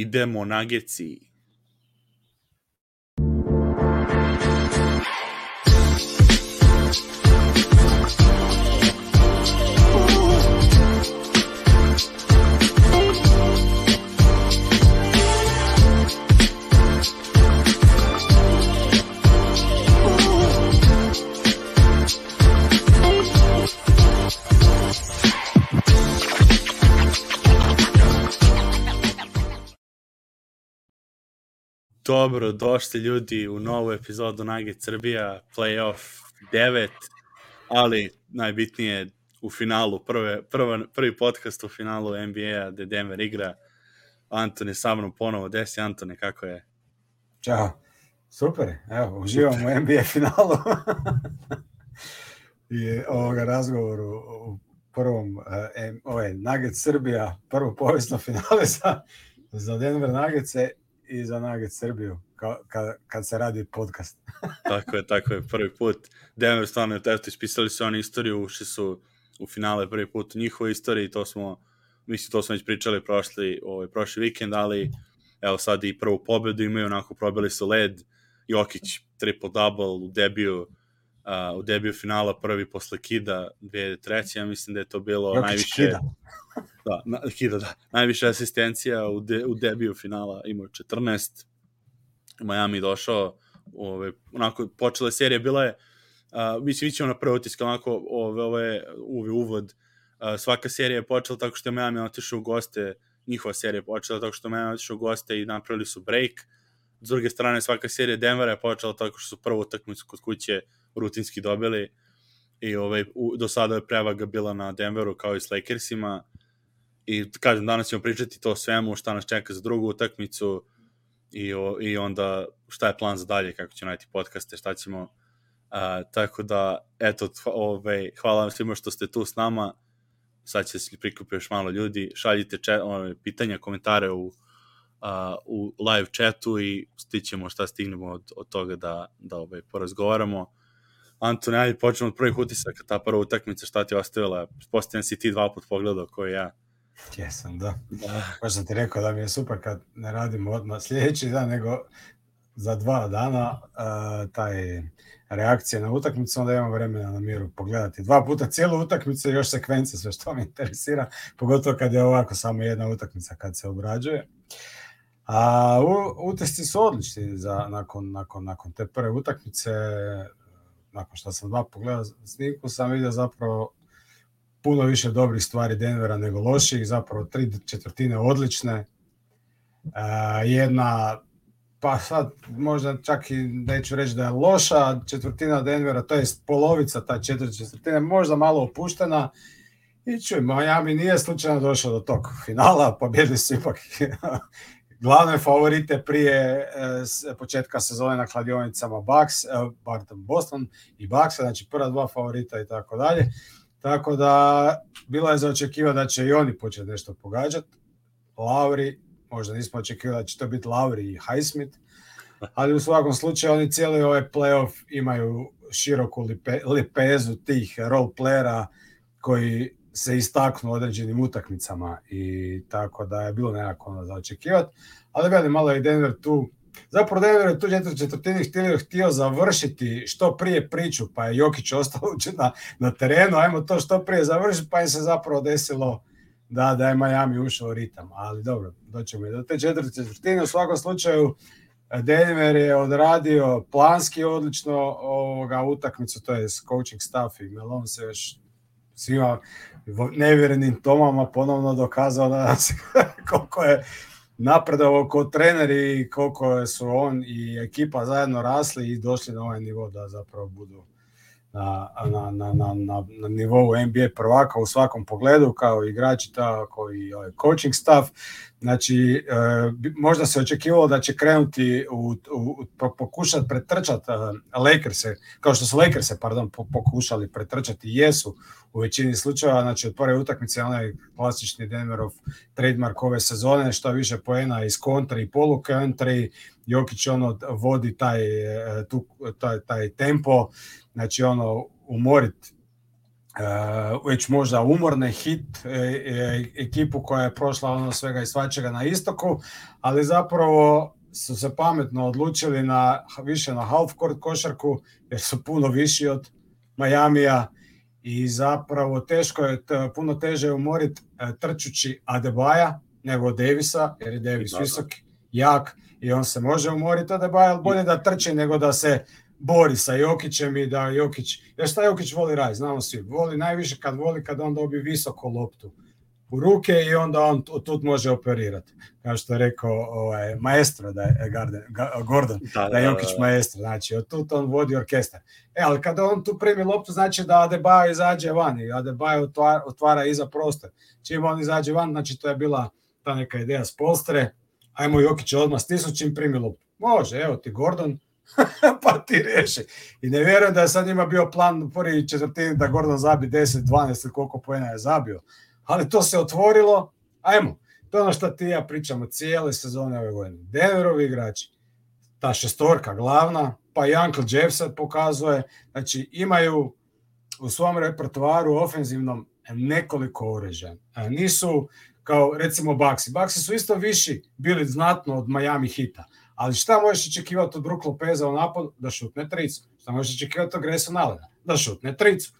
Idemo Nageci. Dobro, došli ljudi u novu epizodu Nugget Srbija, playoff 9, ali najbitnije u finalu, prvi podcast u finalu NBA gde Denver igra. Antone sa mnom ponovo, desi Antone, kako je? Ćao, super, evo, uživam u NBA finalu i ovoga razgovoru u prvom, Nugget Srbija, prvo povijesno finale za Denver Nuggetse i za Nugget Srbiju, kad se radi podcast. Tako je, prvi put. Denver stvarno, eto, ispisali su oni istoriju, ušli su u finale prvi put u njihovoj istoriji, to smo već pričali prošli vikend, ali evo sad i prvu pobedu imaju, onako probili su led, Jokić triple-double u debiju finala, prvi posle Kida 2003. Ja mislim da je to bilo Jokić najviše... Kida. Najviše asistencija u debiju finala, imao 14. Miami došao, onako, počela serija, bila je, mislim, ićemo na prvi utisak, onako, uvod, svaka serija je počela tako što je Miami otišao u goste, njihova serija je počela tako što je Miami otišao u goste i napravili su break. S druge strane, svaka serija Denvera je počela tako što su prvu utakmicu kod kuće rutinski dobili i do sada je prevaga bila na Denveru kao i s Lakersima. I kažem, danas ćemo pričati to svemu, šta nas čeka za drugu utakmicu i onda šta je plan za dalje, kako ćemo najti podcaste, šta ćemo. Tako da, eto, hvala vam svima što ste tu s nama. Sad će se prikupi još malo ljudi. Šaljite pitanja, komentare u live chatu i stićemo šta stignemo od toga da porazgovaramo. Antone, ajde, počnemo od prvih utisaka, ta prva utakmica, šta ti je ostavila? Postavljam si ti 2 put pogledao koji ja. Jesam, da. Pa sam ti rekao da mi je super kad ne radimo odmah sljedeći dan, nego za 2 dana taj reakcija na utakmicu, onda imam vremena na miru pogledati 2 puta cijelu utakmicu i još sekvence, sve što me interesira, pogotovo kad je ovako samo jedna utakmica kad se obrađuje. A utisci su odlični nakon te prve utakmice. Nakon što sam 2 pogledao snimku, sam vidio zapravo puno više dobrih stvari Denvera nego loših, zapravo 3/4 odlične. Jedna, pa sad možda čak i neću reći da je loša četvrtina Denvera, to je polovica ta 4/4, možda malo opuštena. I čuj, Miami nije slučajno došao do tog finala, pobjedili su ipak glavne favorite prije početka sezone na kladionicama Boston i Bucks, znači prva 2 favorita i tako dalje. Tako da bilo je za očekivati da će i oni početi nešto pogađati. Lauri, možda nismo očekivali da će to biti Lauri i Highsmith, ali u svakom slučaju oni cijeli ovaj playoff imaju široku lepezu tih role playera koji se istaknu određenim utakmicama i tako da je bilo nekako za očekivati. Ali gledaj, malo je Denver tu. Zapravo Denver je tu 4/4 htio završiti što prije priču, pa je Jokić ostao na terenu, ajmo to što prije završiti, pa je se zapravo desilo da je Miami ušao u ritam. Ali dobro, doćemo i do te 4/4. U svakom slučaju Denver je odradio planski odlično utakmicu, to je coaching staff i Malone se još svima nevjerenim tomama ponovno dokazao da koliko je napredovao kao trener i koliko su on i ekipa zajedno rasli i došli na ovaj nivo da zapravo budu na nivou NBA prvaka u svakom pogledu, kao igrači, tako i coaching staff. Znači, možda se očekivalo da će krenuti pokušati pretrčati Lakerse, kao što su Lakerse, pokušali pretrčati i jesu u većini slučajeva. Znači, od prve utakmice onaj klasični Denverov trademark ove sezone, što više poena iz kontra i polu-country, Jokić vodi taj tempo, znači umorit već možda umorne hit ekipu koja je prošla ono svega i svačega na istoku, ali zapravo su se pametno odlučili više na half court košarku, jer su puno viši od Miamija i zapravo puno teže umoriti trčući Adebaja nego Davisa, jer je Davis visok, jak i on se može umoriti Adebaja, ali bolje da trči nego da se bori sa Jokićem i da Jokić, jer šta Jokić voli raditi, znamo svi, voli najviše kad on dobi visoko loptu u ruke i onda on tu može operirati. Kao što je rekao maestro da je Gordon, da je Jokić maestro, znači od tu on vodi orkestar. Ali kada on tu primi loptu, znači da Adebayo izađe van i Adebayo otvara iza prostor. Čim on izađe van, znači to je bila ta neka ideja s Polstre, ajmo Jokić odmah stisnu čim primi loptu. Može, evo ti Gordon, pa ti reši. I ne vjerujem da je sad njima bio plan u prvi četvrtini da Gordon zabi 10, 12, koliko poena je zabio. Ali to se otvorilo, ajmo, to je ono što ti ja pričamo cijele sezone ove godine. Denverovi igrači, ta šestorka glavna, pa i Uncle Jeff sad pokazuje, znači imaju u svom repertoaru ofenzivnom nekoliko oružja. Nisu kao recimo Bucksi. Bucksi su isto viši bili znatno od Miami Hita, ali šta možeš očekivati od Brook Lopeza u napadu? Da šutne tricu. Šta možeš očekivati od Grayson Allena? Da šutne tricu.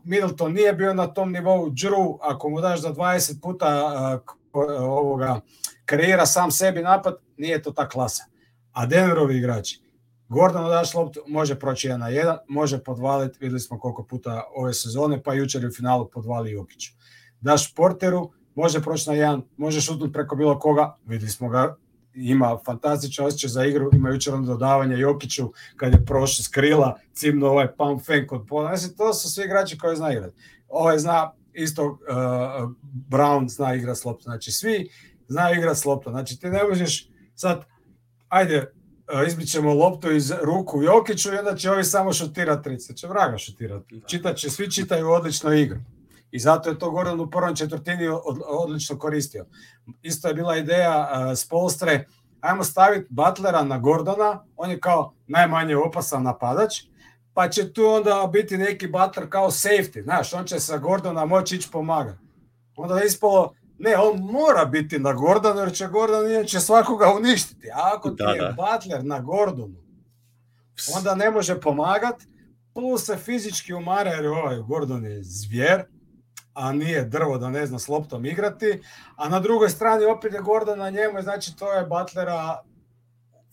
Middleton nije bio na tom nivou. Drew, ako mu daš za 20 puta kreira sam sebi napad, nije to ta klasa. A Denverovi igrači, Gordonu daš loptu, može proći 1-1, može podvaliti, vidjeli smo koliko puta ove sezone, pa jučer u finalu podvali Jokiću. Daš Porteru, može proći na 1, može šutnuti preko bilo koga, vidjeli smo ga, ima fantastičan osjećaj za igru, ima jučer dodavanje Jokiću kad je prošao s krila, cimno ovaj pump fake od pola. Znači, to su svi igrači koji zna igrati. Zna isto Brown zna igrati s loptom. Znači, svi znaju igrati s loptom. Znači, ti ne možeš sad, ajde, izbićemo loptu iz ruku Jokiću i onda će ovi samo šutirati trice. Će vraga šutirati. Svi čitaju odlično igru. I zato je to Gordon u prvom četvrtini odlično koristio. Isto je bila ideja s Polstre, ajmo staviti Butlera na Gordona, on je kao najmanje opasan napadač, pa će tu onda biti neki Butler kao safety, znaš, on će sa Gordona moći ići pomagati. Onda je ispalo, ne, on mora biti na Gordonu, jer će Gordon će svakoga uništiti. A ako ti je Butler na Gordonu, onda ne može pomagati, plus se fizički umara, jer Gordon je zvijer, a nije drvo da ne zna s loptom igrati, a na drugoj strani opet je Gordon na njemu, znači to je Butlera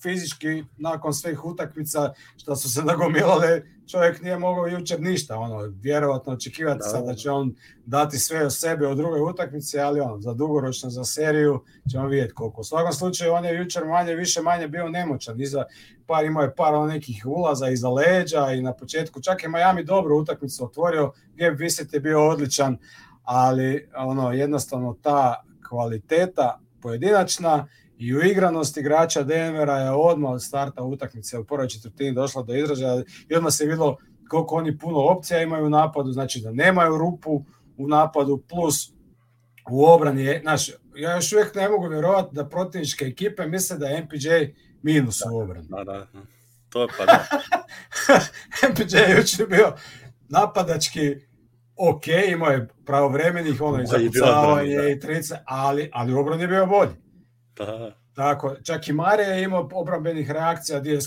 fizički nakon svih utakmica što su se nagomilale, čovjek nije mogao jučer ništa, vjerovatno očekivati sad da će on dati sve o sebe u drugoj utakmici, ali za dugoročno, za seriju ćemo vidjeti koliko. U svakom slučaju on je jučer manje bio nemoćan, imao je par nekih ulaza iza leđa i na početku, čak je Miami dobru utakmicu otvorio, Gabe Vincent je bio odličan, ali jednostavno ta kvaliteta pojedinačna i uigranost igrača Denvera je odmah od starta utakmice u prvoj četvrtini došla do izražaja i odmah se vidjelo koliko oni puno opcija imaju u napadu, znači da nemaju rupu u napadu, plus u obrani. Znači, ja još uvijek ne mogu vjerovati da protivničke ekipe misle da je MPJ minus u obrani. Da. To je pa da. MPJ je jučer bio napadački ok, imao je pravovremenih zapucavanje i trice, ali u obrani je bio bolji. Tako, čak i Mare je imao obrambenih reakcija gdje je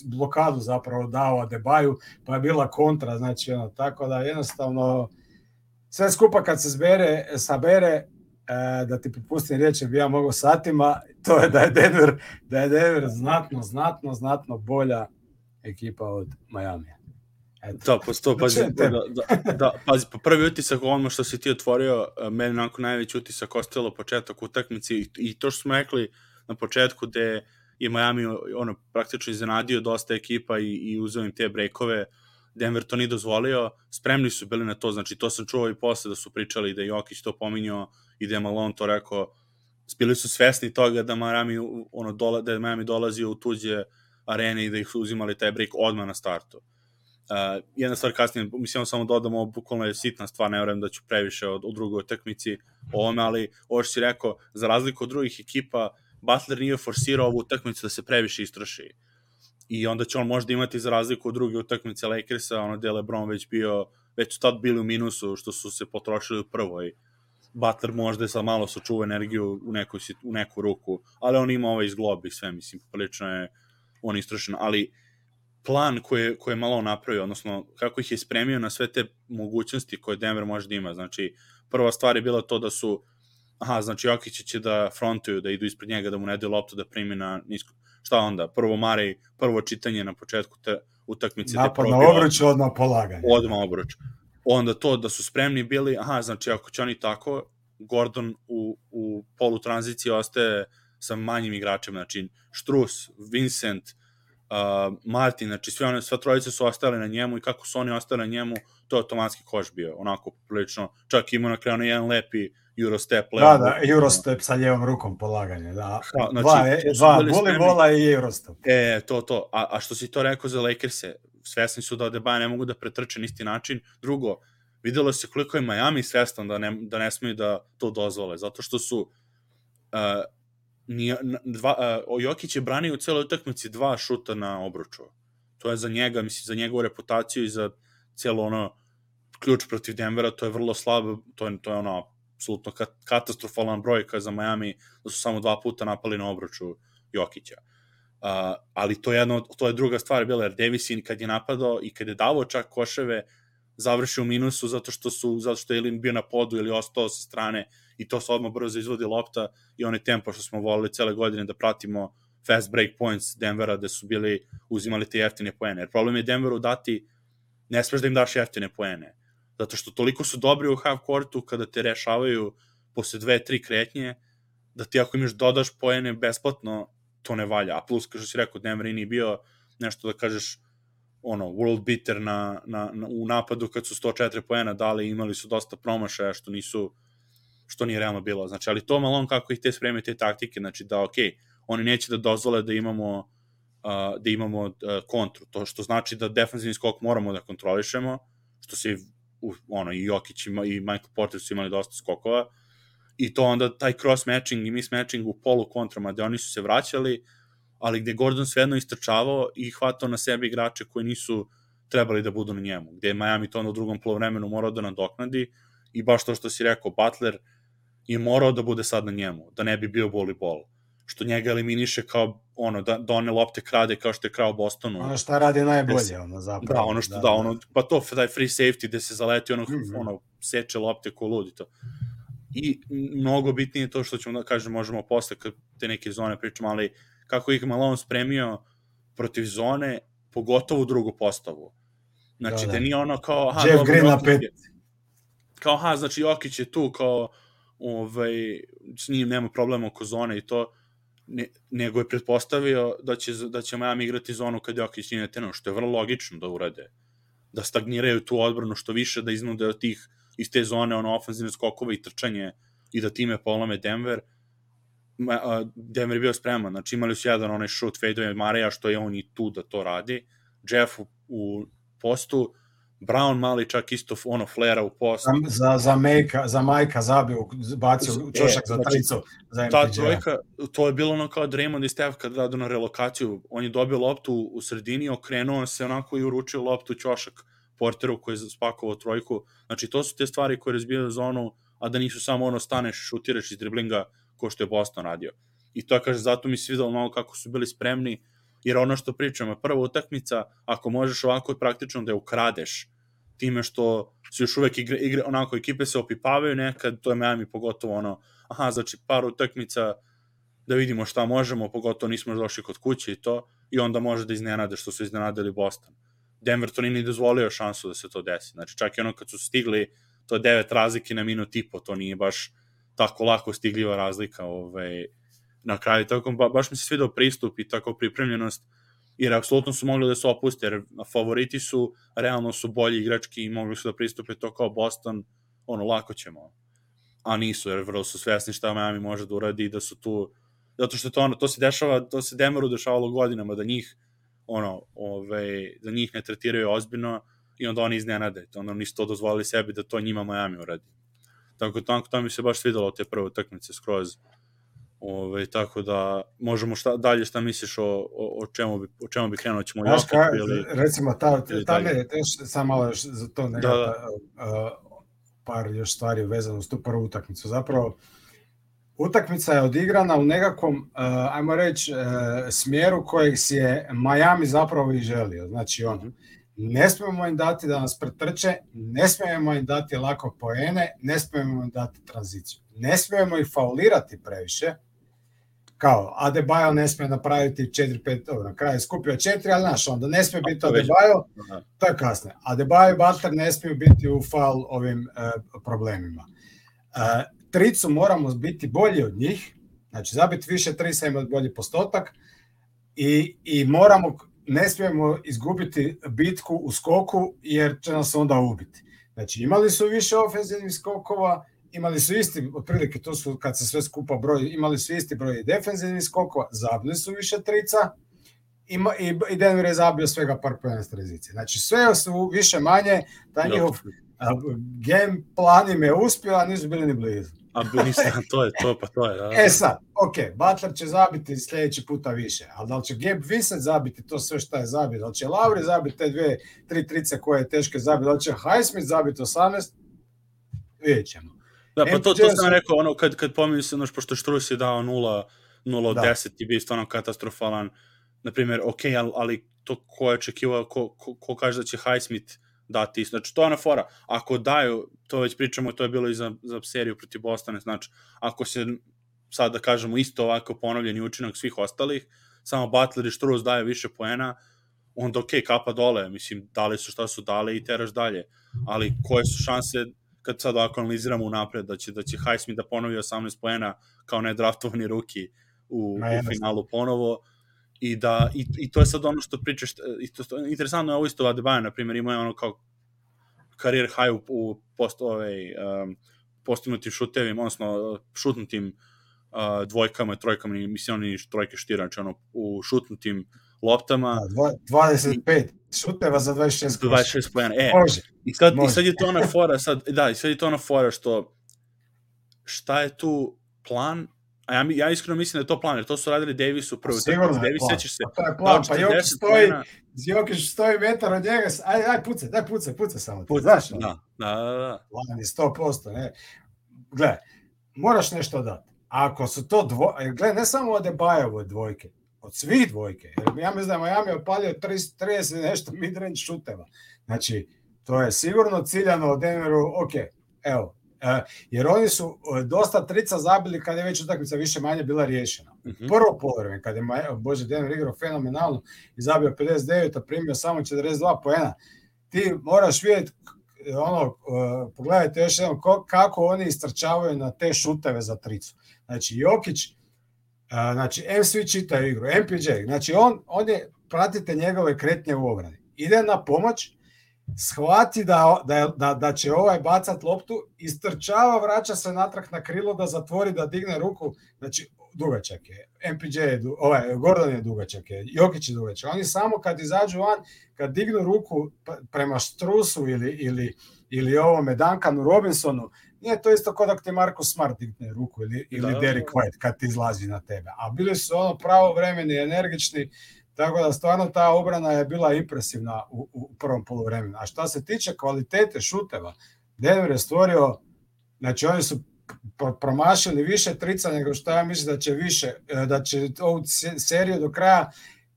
blokadu zapravo dao Adebayu, pa je bila kontra, znači tako da jednostavno sve skupa kad se sabere, da ti popustim riječ, bi ja mogao satima, to je da je Denver znatno bolja ekipa od Miamija. Pazi, po prvi utisak ono što si ti otvorio, meni onako najveći utisak ostalo početak utakmice i to što smo rekli na početku gde je Miami praktično iznenadio dosta ekipa i uzeo im te breakove, Denver to nije dozvolio, spremni su bili na to, znači to sam čuo i posle da su pričali da je Jokić to pominjao i da je Malone to rekao, bili su svesni toga da Miami dolazio u tuđe arene i da ih uzimali taj break odmah na startu. Jedna stvar kasnije, mislim samo dodamo, bukvalno je sitna stvar, ne vjerujem da ću previše u drugoj utakmici ovome, ali ovo što si rekao, za razliku od drugih ekipa, Butler nije forsirao ovu utakmicu da se previše istroši. I onda će on možda imati za razliku od druge utakmice Lakersa, gde je LeBron već bio već su tad bili u minusu što su se potrošili u prvoj. Butler možda je sad malo sačuva energiju u neku ruku, ali on ima ovaj izglob i sve, mislim, prilično je on istrošen, ali plan koji je malo napravio, odnosno kako ih je spremio na sve te mogućnosti koje Denver može da ima, znači prva stvar je bila to da su znači Jokić će da frontuju, da idu ispred njega, da mu ne daju loptu, da primi na nisko. Šta onda? Prvo čitanje na početku te utakmice. Napad na obruč, odmah polaganje. Odmah obruč. Onda to da su spremni bili, znači ako će oni tako, Gordon u polutranziciji ostaje sa manjim igračima, znači Strus, Vincent, Martin, znači sva trojice su ostale na njemu i kako su oni ostali na njemu, to je automatski koš bio, onako prilično, čak ima na kraju jedan lepi Eurostep. Da, Eurostep sa ljevom rukom polaganje, da. Znači, dva volleybola i Eurostep. To. A što si to rekao za Lakers-e, svesni su da Adebayo ne mogu da pretrče na isti način. Drugo, videlo se koliko je Miami svestan da ne smiju da to dozvole, zato što su Jokić je branio u celoj utakmici 2 šuta na obruču. To je za njega, mislim, za njegovu reputaciju i za cijelo ono ključ protiv Denvera, to je vrlo slabo, to je ono apsolutno katastrofalan brojka za Miami, da su samo 2 puta napali na obruču Jokića. Ali to je druga stvar bila, jer Davis kad je napadao i kad je davao čak koševe, završio u minusu zato što je ili bio na podu ili ostao sa strane i to se odmah brzo izvodi lopta i onaj tempo što smo volili cele godine da pratimo fast break points Denvera gde su uzimali te jeftine poene. Jer problem je Denveru dati, ne smeš da im daš jeftine poene. Zato što toliko su dobri u half courtu kada te rešavaju posle 2-3 kretnje, da ti ako imaš dodaš poene besplatno, to ne valja. A plus, kao što si rekao, Denver nije bio nešto da kažeš world beater u napadu kad su 104 poena dali, imali su dosta promašaja što nije realno bilo. Znači, ali to malo kako ih te spreme te taktike, znači da oni neće da dozvole da imamo kontru, to što znači da defensivni skok moramo da kontrolišemo, što se i Jokić i Michael Porter su imali dosta skokova, i to onda taj cross-matching i miss-matching u polu kontrama, gde oni su se vraćali, ali gde Gordon svejedno istrčavao i hvatao na sebe igrače koji nisu trebali da budu na njemu, gde je Miami to u drugom polovremenu morao da nadoknadi i baš to što si rekao, Butler je morao da bude sad na njemu, da ne bi bio volleyball, što njega eliminiše kao da one lopte krade kao što je krao Bostonu. Ono šta radi najbolje, zapravo. Pa to, taj free safety gde se zaleti, seče lopte ko ludi to. I mnogo bitnije to što ćemo da kažem, možemo posle kad te neke zone pričamo, ali kako ih Malone spremio protiv zone, pogotovo u drugu postavu. Znači, da nije ono kao... Jeff Green na 5. Kao, znači Jokić je tu, kao, s njim nema problema oko zone i to, nego je pretpostavio da će Miami igrati zonu kad Jokić nije na terenu, što je vrlo logično da urade. Da stagniraju tu odbranu što više, da iznude od tih iz te zone ofenzivne skokove i trčanje i da time polome Denver. Denver je bio spreman, znači imali su jedan onaj shoot fade Mareja, što je on i tu da to radi, Jeff u postu, Brown mali čak isto flera u post. Za Majka bacio čošak za tricu. Ta trojka, to je bilo kao Draymond i Steph kad radu na relokaciju, on je dobio loptu u sredini, okrenuo se i uručio loptu ćošak Porteru koji je spakovao trojku. Znači to su te stvari koje razbijaju zonu, a da nisu samo staneš, šutiraš iz driblinga ko što je Boston radio. I to kaže, zato mi se videlo malo kako su bili spremni, jer ono što pričamo, prva utakmica, ako možeš ovako praktično da je ukradeš, time što se još uvek igre, ekipe se opipavaju nekad, to je Miami pogotovo znači par utakmica da vidimo šta možemo, pogotovo nismo došli kod kuće i to, i onda može da iznenade što su iznenadili Boston. Denver to nije ni dozvolio šansu da se to desi. Znači čak i kad su stigli, to je 9 razlike na minut i po, to nije baš tako lako stigljiva razlika na kraju. Tako, baš mi se svidao pristup i tako pripremljenost, jer apsolutno su mogli da se opuste, jer favoriti su, realno su bolji igrački i mogli su da pristupe to kao Boston, lako ćemo. A nisu, jer vrlo su svesni šta Miami može da uradi i da su tu, zato što to se dešava, to se Denveru dešavalo godinama, da njih da njih ne tretiraju ozbiljno i onda oni iznenade, onda nisu to dozvolili sebi da to njima Miami uradi. Tako to mi se baš svidalo te prve utakmice skroz. Tako da možemo šta misliš o čemu bi krenuo, ćemo Znaš Jokić ili recimo, ili ta dalje? ne, sam malo još za to Da. par još stvari vezano uz tu prvu utakmicu. Zapravo, utakmica je odigrana u nekakvom, ajmo reći, smjeru kojeg si je Miami zapravo i želio. Znači, ne smijemo im dati da nas pretrče, ne smijemo im dati lako poene, ne smijemo im dati tranziciju. Ne smijemo ih faulirati previše, kao Adebayo ne smije napraviti 4-5, na kraju je skupio 4, ali znaš, onda ne smije biti Adebayo, to je kasne. Adebayo i Butler ne smiju biti u faul ovim problemima. Tricu moramo biti bolji od njih, znači zabiti više trica, imati bolji postotak i ne smijemo izgubiti bitku u skoku jer će nas onda ubiti. Znači imali su više ofenzivnih skokova, imali su isti, otprilike to su kad se sve skupa broji, imali su isti broj defenzivnih skokova, zabili su više trica i Denver je zabio svega par poena s tranzicije. Znači sve su više manje, taj njihov game plan im je uspio, a nisu bili ni blizu. To je. Da. Sad, Butler će zabiti sljedeći puta više, ali da li će Gabe Vincent zabiti to sve što je zabio, da li će Lauri zabiti te 2-3 trice koje je teške zabiti, da li će Highsmith zabiti 18, vidjet ćemo. Da, pa to sam rekao, kad pominju se, pošto Strus je dao 0 od 10 i bio stvarno katastrofalan, na primjer, ali to ko je očekivao, ko kaže da će Highsmith dati isto. Znači, to je ona fora. Ako daju, to već pričamo, to je bilo i za seriju protiv Bostona, znači, ako se, sad da kažemo, isto ovako ponovljeni učinak svih ostalih, samo Butler i Strus daju više poena, onda kapa dole, mislim, dali su šta su dali i teraš dalje. Ali koje su šanse, kad sad ovako analiziramo unapred, da će Highsmith da ponovi 18 poena kao nedraftovani ruki u finalu ponovo, i to je sad ono što pričaš, interesantno je ovo isto Adebayo, na primjer, ima ono kao karijer high u postignutim šutevima, odnosno šutnutim dvojkama, trojkama, mislim, oni trojke štira, znači ono, u šutnutim loptama. 25 šuteva za 26 pojena. I sad je to ona fora, što šta je tu plan? A ja iskreno mislim da je to plan, jer to su radili Davisu prvo. Sigurno je plan. To je plan, pa Jokić stoji metar od njega, aj pucaj samo. Znaš? Da. Plan je 100%, ne. Gle, moraš nešto dati. Ako su to gle, ne samo od Adebayove dvojke, od svih dvojke. Jer ja mislim da je Miami opalio 30 nešto midrange šuteva. Znači, to je sigurno ciljano od Denveru, evo, jer oni su dosta trica zabili kad je već utakmica više manje bila riješena. Prvo poluvreme, kad je Denver igrao fenomenalno i zabio 59, a primio samo 42 poena, ti moraš vidjeti, pogledajte još jednom kako oni istrčavaju na te šuteve za tricu. Znači, Jokić, svi čitaju igru, MPJ, znači on je, pratite njegove kretnje u obrani. Ide na pomoć, shvati da će bacat loptu, istrčava, vraća se natrag na krilo da zatvori, da digne ruku, znači dugačak je, MPJ je, Gordon je dugačak je, Jokić je dugačak. Oni samo kad izađu van, kad dignu ruku prema Strusu ili ovome Duncanu Robinsonu, nije to isto kao da ti Marcus Smart digne ruku ili Derek White kad ti izlazi na tebe. A bili su pravovremeni, energični, tako da stvarno ta obrana je bila impresivna u prvom poluvremenu. A šta se tiče kvalitete šuteva, Denver je stvorio, znači oni su promašili više trica nego što ja mislim da će ovu seriju do kraja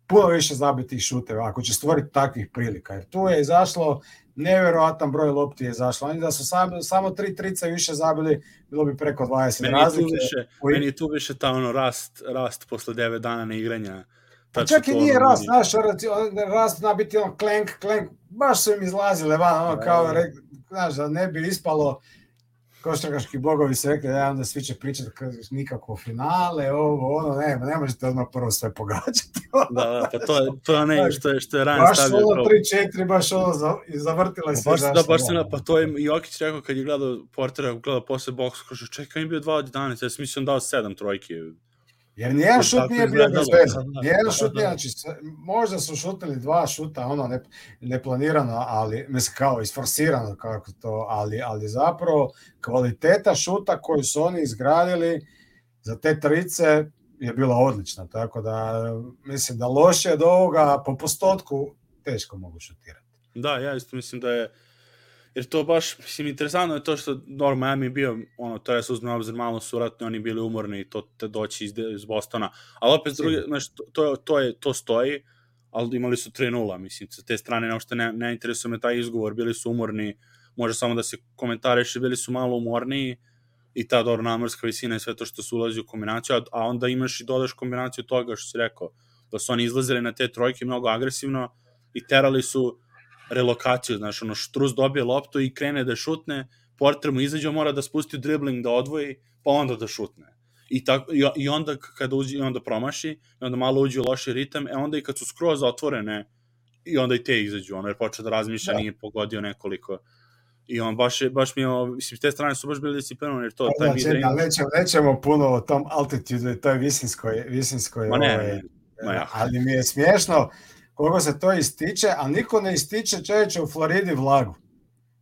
puno više zabiti šuteva, ako će stvoriti takvih prilika. Jer tu je izašlo nevjerojatan broj lopti je izašlo. Oni da su samo 3 trica više zabili, bilo bi preko 20 razlike. Meni je tu više ta rast posle 9 dana neigranja. Pa čak i nije rast, znaš, rast zna biti klenk, baš su im izlazile van, kao, znaš, da ne bi ispalo, košarkaški bogovi se rekli, onda svi će pričati nikako finale, ne možete odmah prvo sve pogađati. Da, pa to je ono što je Ryan stavio. Baš 3-4, baš zavrtila se. Pa to je Jokić rekao kad je gledao Portera, gledao posle boksa, kaže, čekaj, im bio 2 od 11, ja sam mislim on dao 7 trojke. Jer nijedan šut nije bio bez veze. Nijedan šut nije, znači, možda su šutili 2 šuta, neplanirano, ali, mislim, kao isforsirano, kako to, ali zapravo kvaliteta šuta koju su oni izgradili za te trice je bila odlična, tako da mislim da loše od ovoga po postotku teško mogu šutirati. Da, ja isto mislim da je, jer to baš, mislim, interesantno je to što Miami bio, to je se uzme obzir, malo su vratno oni bili umorni i to te doći iz Bostona, ali opet druge, znači, to stoji, ali imali su 3-0, mislim, sa te strane neuopšte ne interesuje me taj izgovor, bili su umorni, može samo da se komentariše, bili su malo umorniji i ta dobro namorska visina i sve to što se ulazi u kombinaciju, a onda imaš i dodaš kombinaciju toga što si rekao, da su oni izlazili na te trojke mnogo agresivno i terali su relokaciju, znaš, Štrus dobije loptu i krene da šutne, Porter mu izađe, mora da spusti dribling, da odvoji, pa onda da šutne. I onda kada uđe, i onda promaši, i onda malo uđe u loši ritam, onda i kad su skroz otvorene, i onda i te izađu, jer počeo da razmišlja, nije pogodio nekoliko. I on baš mi je, mislim, te strane su baš bili disciplinovani, jer to... Nećemo puno o tom altitude i toj visinskoj ali mi je smiješno koliko se to ističe, a niko ne ističe čovječe u Floridi vlagu.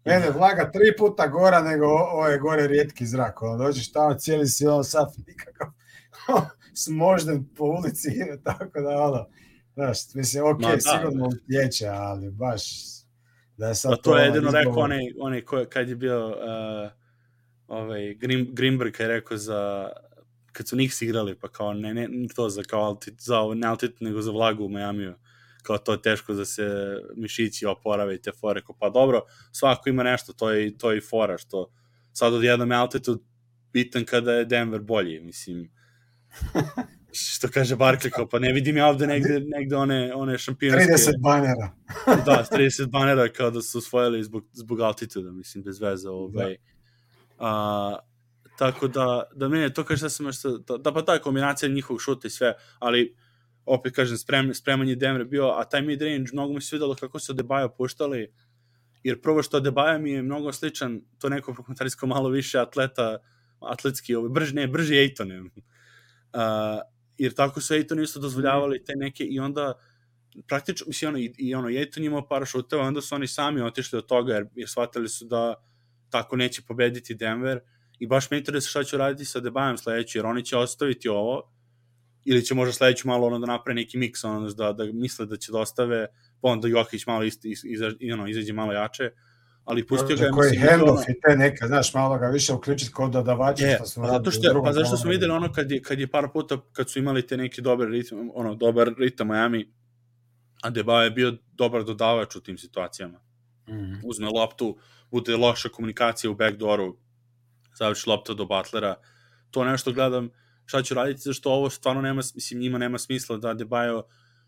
Mene vlaga 3 puta gora nego ovo je gore rijetki zrak. Dođeš tamo, cijeli si sav nikakav smožden po ulici, tako da znaš, mislim, sigurno utječe, ali baš da je sad to je jedino rekao onaj kad je bio Greenberg je rekao kad su Knicks igrali, pa kao ne to za altitude, nego za vlagu u Majamiju. Kao to je teško da se mišići oporave i te fore, pa dobro, svako ima nešto, to je i fora, što sad odjednom je altitude bitan kada je Denver bolji, mislim, što kaže Barkley, pa ne vidim ja ovde negde one šampionske... 30 banera. Da, 30 banera kao da su osvojili zbog altituda, mislim, bez veze. Tako da mene to kaže šta sam da pa ta kombinacija njihovog šuta i sve, ali opet kažem, spremanje Denver bio, a taj mid-range mnogo mi se videlo kako se Adebayo puštali, jer prvo što Adebayo mi je mnogo sličan, to neko prokomentarijsko malo više atletski, brži Ayton. Jer tako su Ayton isto dozvoljavali te neke i onda praktično, mislim, Ayton imao par šuteva, onda su oni sami otišli od toga, jer shvatili su da tako neće pobediti Denver i baš me interesuje šta će raditi sa Adebayom sledeći, jer oni će ostaviti ovo, ili će možda sledeći malo da napravi neki miks, da misle da će da ostave, pa onda Jokić malo izađe malo jače, ali pustio ga... Koji handoff i te neka, znaš, malo ga više uključiti kod dodavača. Pa zašto smo videli kad je par puta, kad su imali te neki dobar ritam Miami, Adebayo je bio dobar dodavač u tim situacijama. Uzme loptu, bude loša komunikacija u backdooru, završi lopta do Butlera, to nešto gledam šta ću raditi, zašto ovo stvarno njima nema smisla da Adebayo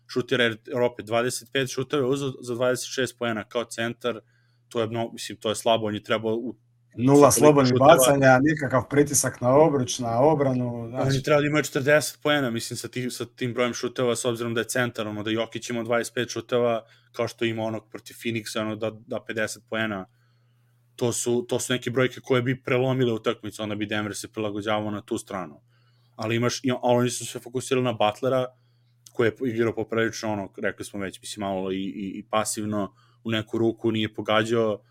šutira, jer opet 25 šuteve uzeo za 26 poena kao centar, to je slabo, on je trebao... 0 slobodnih bacanja, nikakav pritisak na obruč, na obranu. On je trebao da ima 40 poena, mislim, sa tim brojem šuteva, s obzirom da je centar, da Jokić ima 25 šuteva, kao što ima onog protiv Phoenixa, da 50 poena. To su neke brojke koje bi prelomile utakmicu, onda bi Denver se prilagođavao na tu stranu. Ali oni su se fokusirali na Butlera, koji je igrao poprilično, rekli smo već, mislim, malo i pasivno, u neku ruku nije pogađao,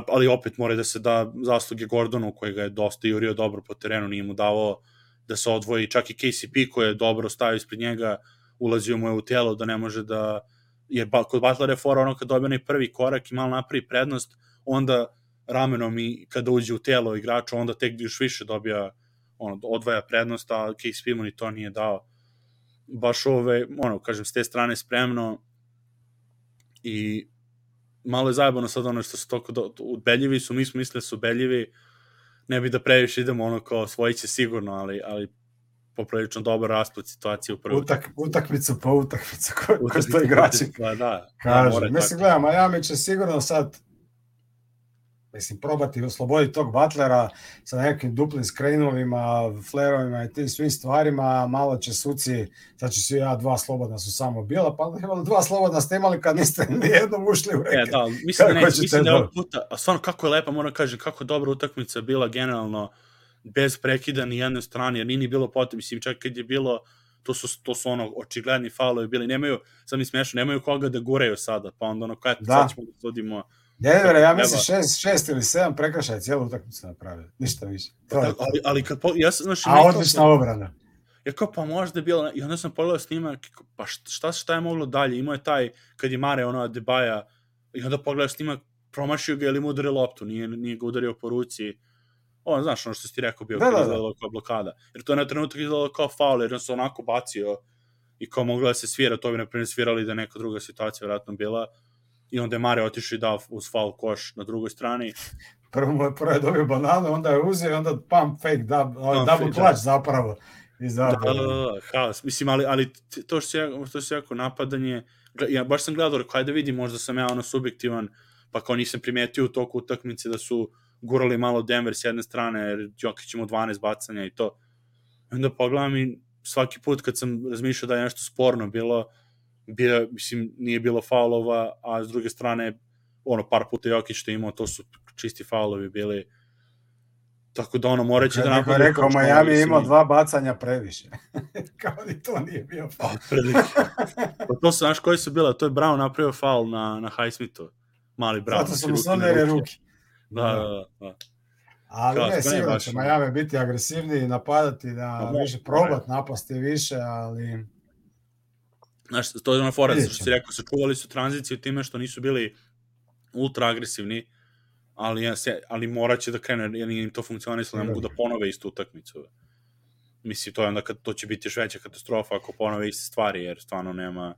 ali opet mora da se da zasluge Gordonu, koji ga je dosta jurio dobro po terenu, nije mu davao da se odvoji, čak i KCP koji je dobro stavio ispred njega, ulazio mu je u telo da ne može da, jer kod Butlera je fora kad dobije onaj prvi korak i malo napravi prednost, onda ramenom i kada uđe u telo igrača, onda tek još više dobija, odvaja prednost, a KCP mu ni to nije dao. Baš kažem, s te strane spremno i malo je zajebano sad što su toliko ubedljivi su, mi smo mislili da su ubedljivi, ne bi da previše idemo kao osvojit će sigurno, ali poprilično dobar rasplet situacije u prvoj. Utakmicu po utakmicu, ko što igrači kažu. Mislim, gledam, Miami će sigurno sad probati osloboditi tog Butlera sa nekim duplim skrenovima, flerovima i tim svim stvarima, malo će suci, sad će svi 2 slobodna su samo bila, pa imali 2 slobodna ste imali kad niste nijednom ušli u reket. Mislim da ovog puta, a stvarno kako je lepa, moram kažem, kako dobra utakmica bila generalno, bez prekida ni jednoj strani, jer nije bilo potrebno, mislim, čak kad je bilo, to su očigledni faulovi bili, nemaju, sad mi smiješno, nemaju koga da guraju sada, pa onda sad ćemo da sudimo Denver, ja mislim 6 ili 7 prekršaja cijelu utakmicu napravili, ništa više. Ali kad znaš, a odlična obrana. Ja kao, pa možda je bilo, i onda sam pogledao snimak, pa šta je moglo dalje, imao je taj, kad je Mare ono Adebayo, i onda pogledao snimak, promašio ga ili mu udario loptu, nije ga udario po ruci, znaš ono što si ti rekao bio, kad izgledalo kao blokada, jer to je na trenutak izgledalo kao faul, jer on se onako bacio i kao mogla da se svira, to bi na primjer svirali da neka druga situacija vjerojatno bila, i onda je Mare otišao i dao uz faul koš na drugoj strani. Prvo je dobio bananu, onda je uzeo i onda pump fake, double clutch zapravo. Da, haos. Mislim, ali to što se jako napadanje, ja baš sam gledao, kaj da vidim, možda sam ja ono subjektivan, pa kao nisam primetio u toku utakmice da su gurali malo Denver s jedne strane, jer Jokić ima 12 bacanja i to. I onda pogledam i svaki put kad sam razmišljao da je nešto sporno bilo, mislim, nije bilo faulova, a s druge strane, par puta Jokić što je imao, to su čisti faulovi bili. Tako da moraće da napadaju... Neko je rekao, Miami je imao 2 bacanja previše. Kao ni to nije bio faul. Pa to su, znaš koji su bila? To je Brown napravio faul na Highsmithu. Mali Brown. Zato su mu sonere ruke. Da. Ali ne, sigurno će Miami biti agresivniji, napadati, više probati, napasti više, ali... Znaš, to je ona fora, što si rekao, sačuvali su tranziciju time što nisu bili ultra agresivni, ali morat će da krene, jer im to funkcionisalo, ne mogu da ponove istu utakmicu. Mislim, to je onda to će biti još veća katastrofa ako ponove iste stvari, jer stvarno nema...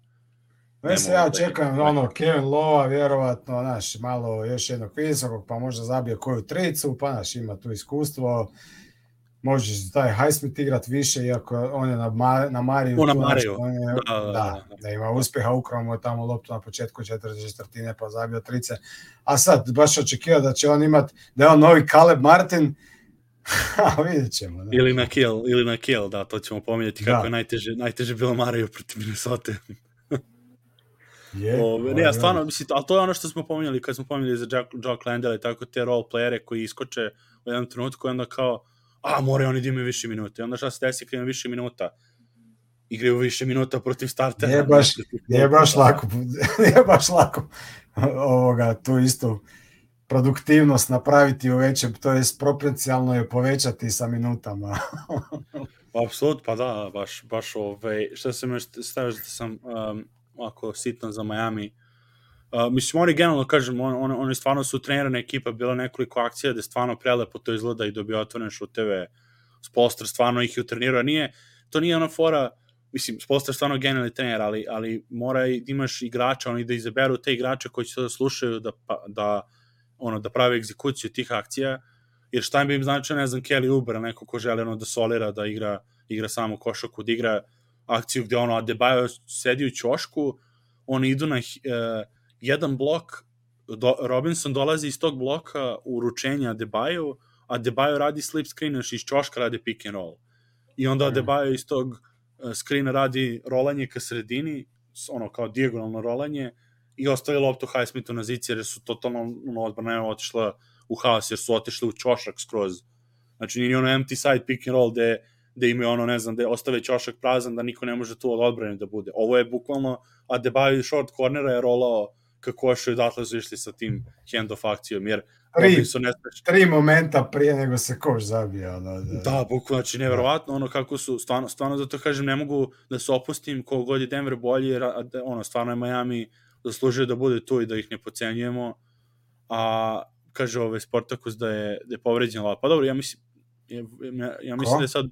Ja čekam Kevin Lova, vjerovatno, malo još jednog visokog, pa možda zabije koju tricu, pa ima tu iskustvo, može taj Highsmith igrat više, iako on je na Mariju. Da ima uspjeha, ukrao mu je tamo loptu na početku četvrtine, pa zabio trice. A sad, baš očekivao da će on imat, da je on novi Caleb Martin, a vidjet ćemo. Ili na kill, da, to ćemo pominjati kako je najteže bilo Mariju protiv Minnesota. Stvarno, mislim, ali to je ono što smo pominjali kad smo pominjali za Jock Landale i tako te role playere koji iskoče u jednom trenutku i onda kao moraju oni da imaju više minuta. I onda šta se desi kad imaju više minuta? Igraju više minuta protiv startera. Nije baš lako tu istu produktivnost napraviti u većem, to je proporcionalno je povećati sa minutama. Apsolutno, pa da, baš šta sam još stavio da sam ovako sitan za Miami. Mislim, oni generalno, kažem, oni stvarno su trenirana ekipa, bila nekoliko akcija da stvarno prelepo to izgleda i dobio otvorene šuteve. Spolster stvarno ih je utrenirao. To nije ona fora, mislim, Spolster stvarno genijalni trener, ali mora da imaš igrača, oni da izaberu te igrače koji će da slušaju da prave egzekuciju tih akcija, jer šta bi im značio, ne znam, Kelly Oubre, neko ko želi da solira, da igra samo košaku, da igra akciju gde Adebayo sedi u ćošku, oni idu na jedan blok, Robinson dolazi iz tog bloka u uručenje Adebayo radi slip screen, još iz ćoška radi pick and roll. I onda Adebayo iz tog screena radi rolanje ka sredini, kao dijagonalno rolanje, i ostavi loptu Highsmithu na zici, jer su totalno odbrana otišla u haos, jer su otišli u ćošak skroz. Znači, nije empty side pick and roll gde imaju ne znam, gde ostave ćošak prazan, da niko ne može tu od odbrane da bude. Ovo je bukvalno Adebayo iz short cornera je rolao kako još i odatle su išli sa tim hand-off akcijom, jer tri momenta prije nego se koš zabija. Da, bukvalno, znači nevjerovatno, kako su, stvarno zato kažem, ne mogu da se opustim koliko god je Denver bolji, jer stvarno je Miami zaslužio da bude tu i da ih ne pocenjujemo, a kaže Sportakus da je povređen Lav. Pa dobro, ja mislim da je sad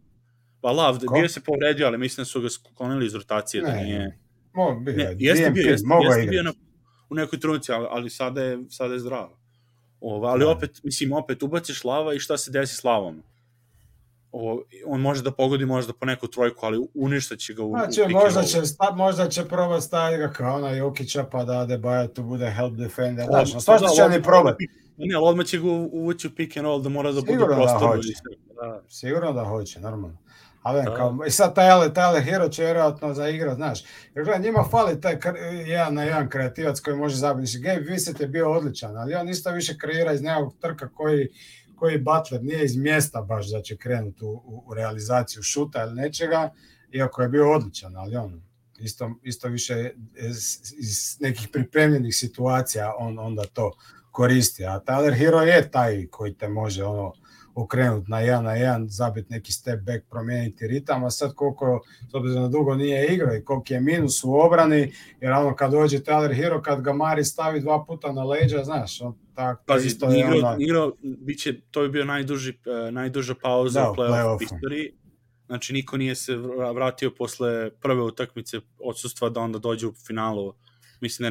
Lav, bio se povredio, ali mislim da su ga sklonili iz rotacije, da nije... Jeste bio u nekoj trunici, ali sada je zdravo. Ali opet ubaciš Lava i šta se desi s Lavom? On može da pogodi možda po neku trojku, ali uništat će ga u možda će probati staviti ga kao ona Jokića, pa da Adebayo tu bude help defender. Svašta će oni probati. Ne, ali odmah će ga uvući u pick and roll da mora da bude prostor. Sigurno da hoće, normalno. I sad taj Hero će vjerojatno zaigrat, znaš. Jer gledaj, njima fali taj jedan na jedan kreativac koji može zabiti. Gabe Vincent je bio odličan, ali on isto više kreira iz nekog trka koji Butler nije iz mjesta baš da će krenuti u realizaciju šuta ili nečega, iako je bio odličan, ali on isto više iz nekih pripremljenih situacija on onda to koristi. A Tyler Hero je taj koji te može okrenuti na 1-1, zabiti neki step back, promijeniti ritam, a sad koliko, s obzirom na dugo nije igrao i koliko je minus u obrani, jer kad dođe Tyler Hero, kad ga Mari stavi 2 puta na leđa, znaš, Pazi, isto je igrao, to bi bio najduža pauza u play-off istoriji. Znači, niko nije se vratio posle prve utakmice odsustva da onda dođe u finalu. Mislim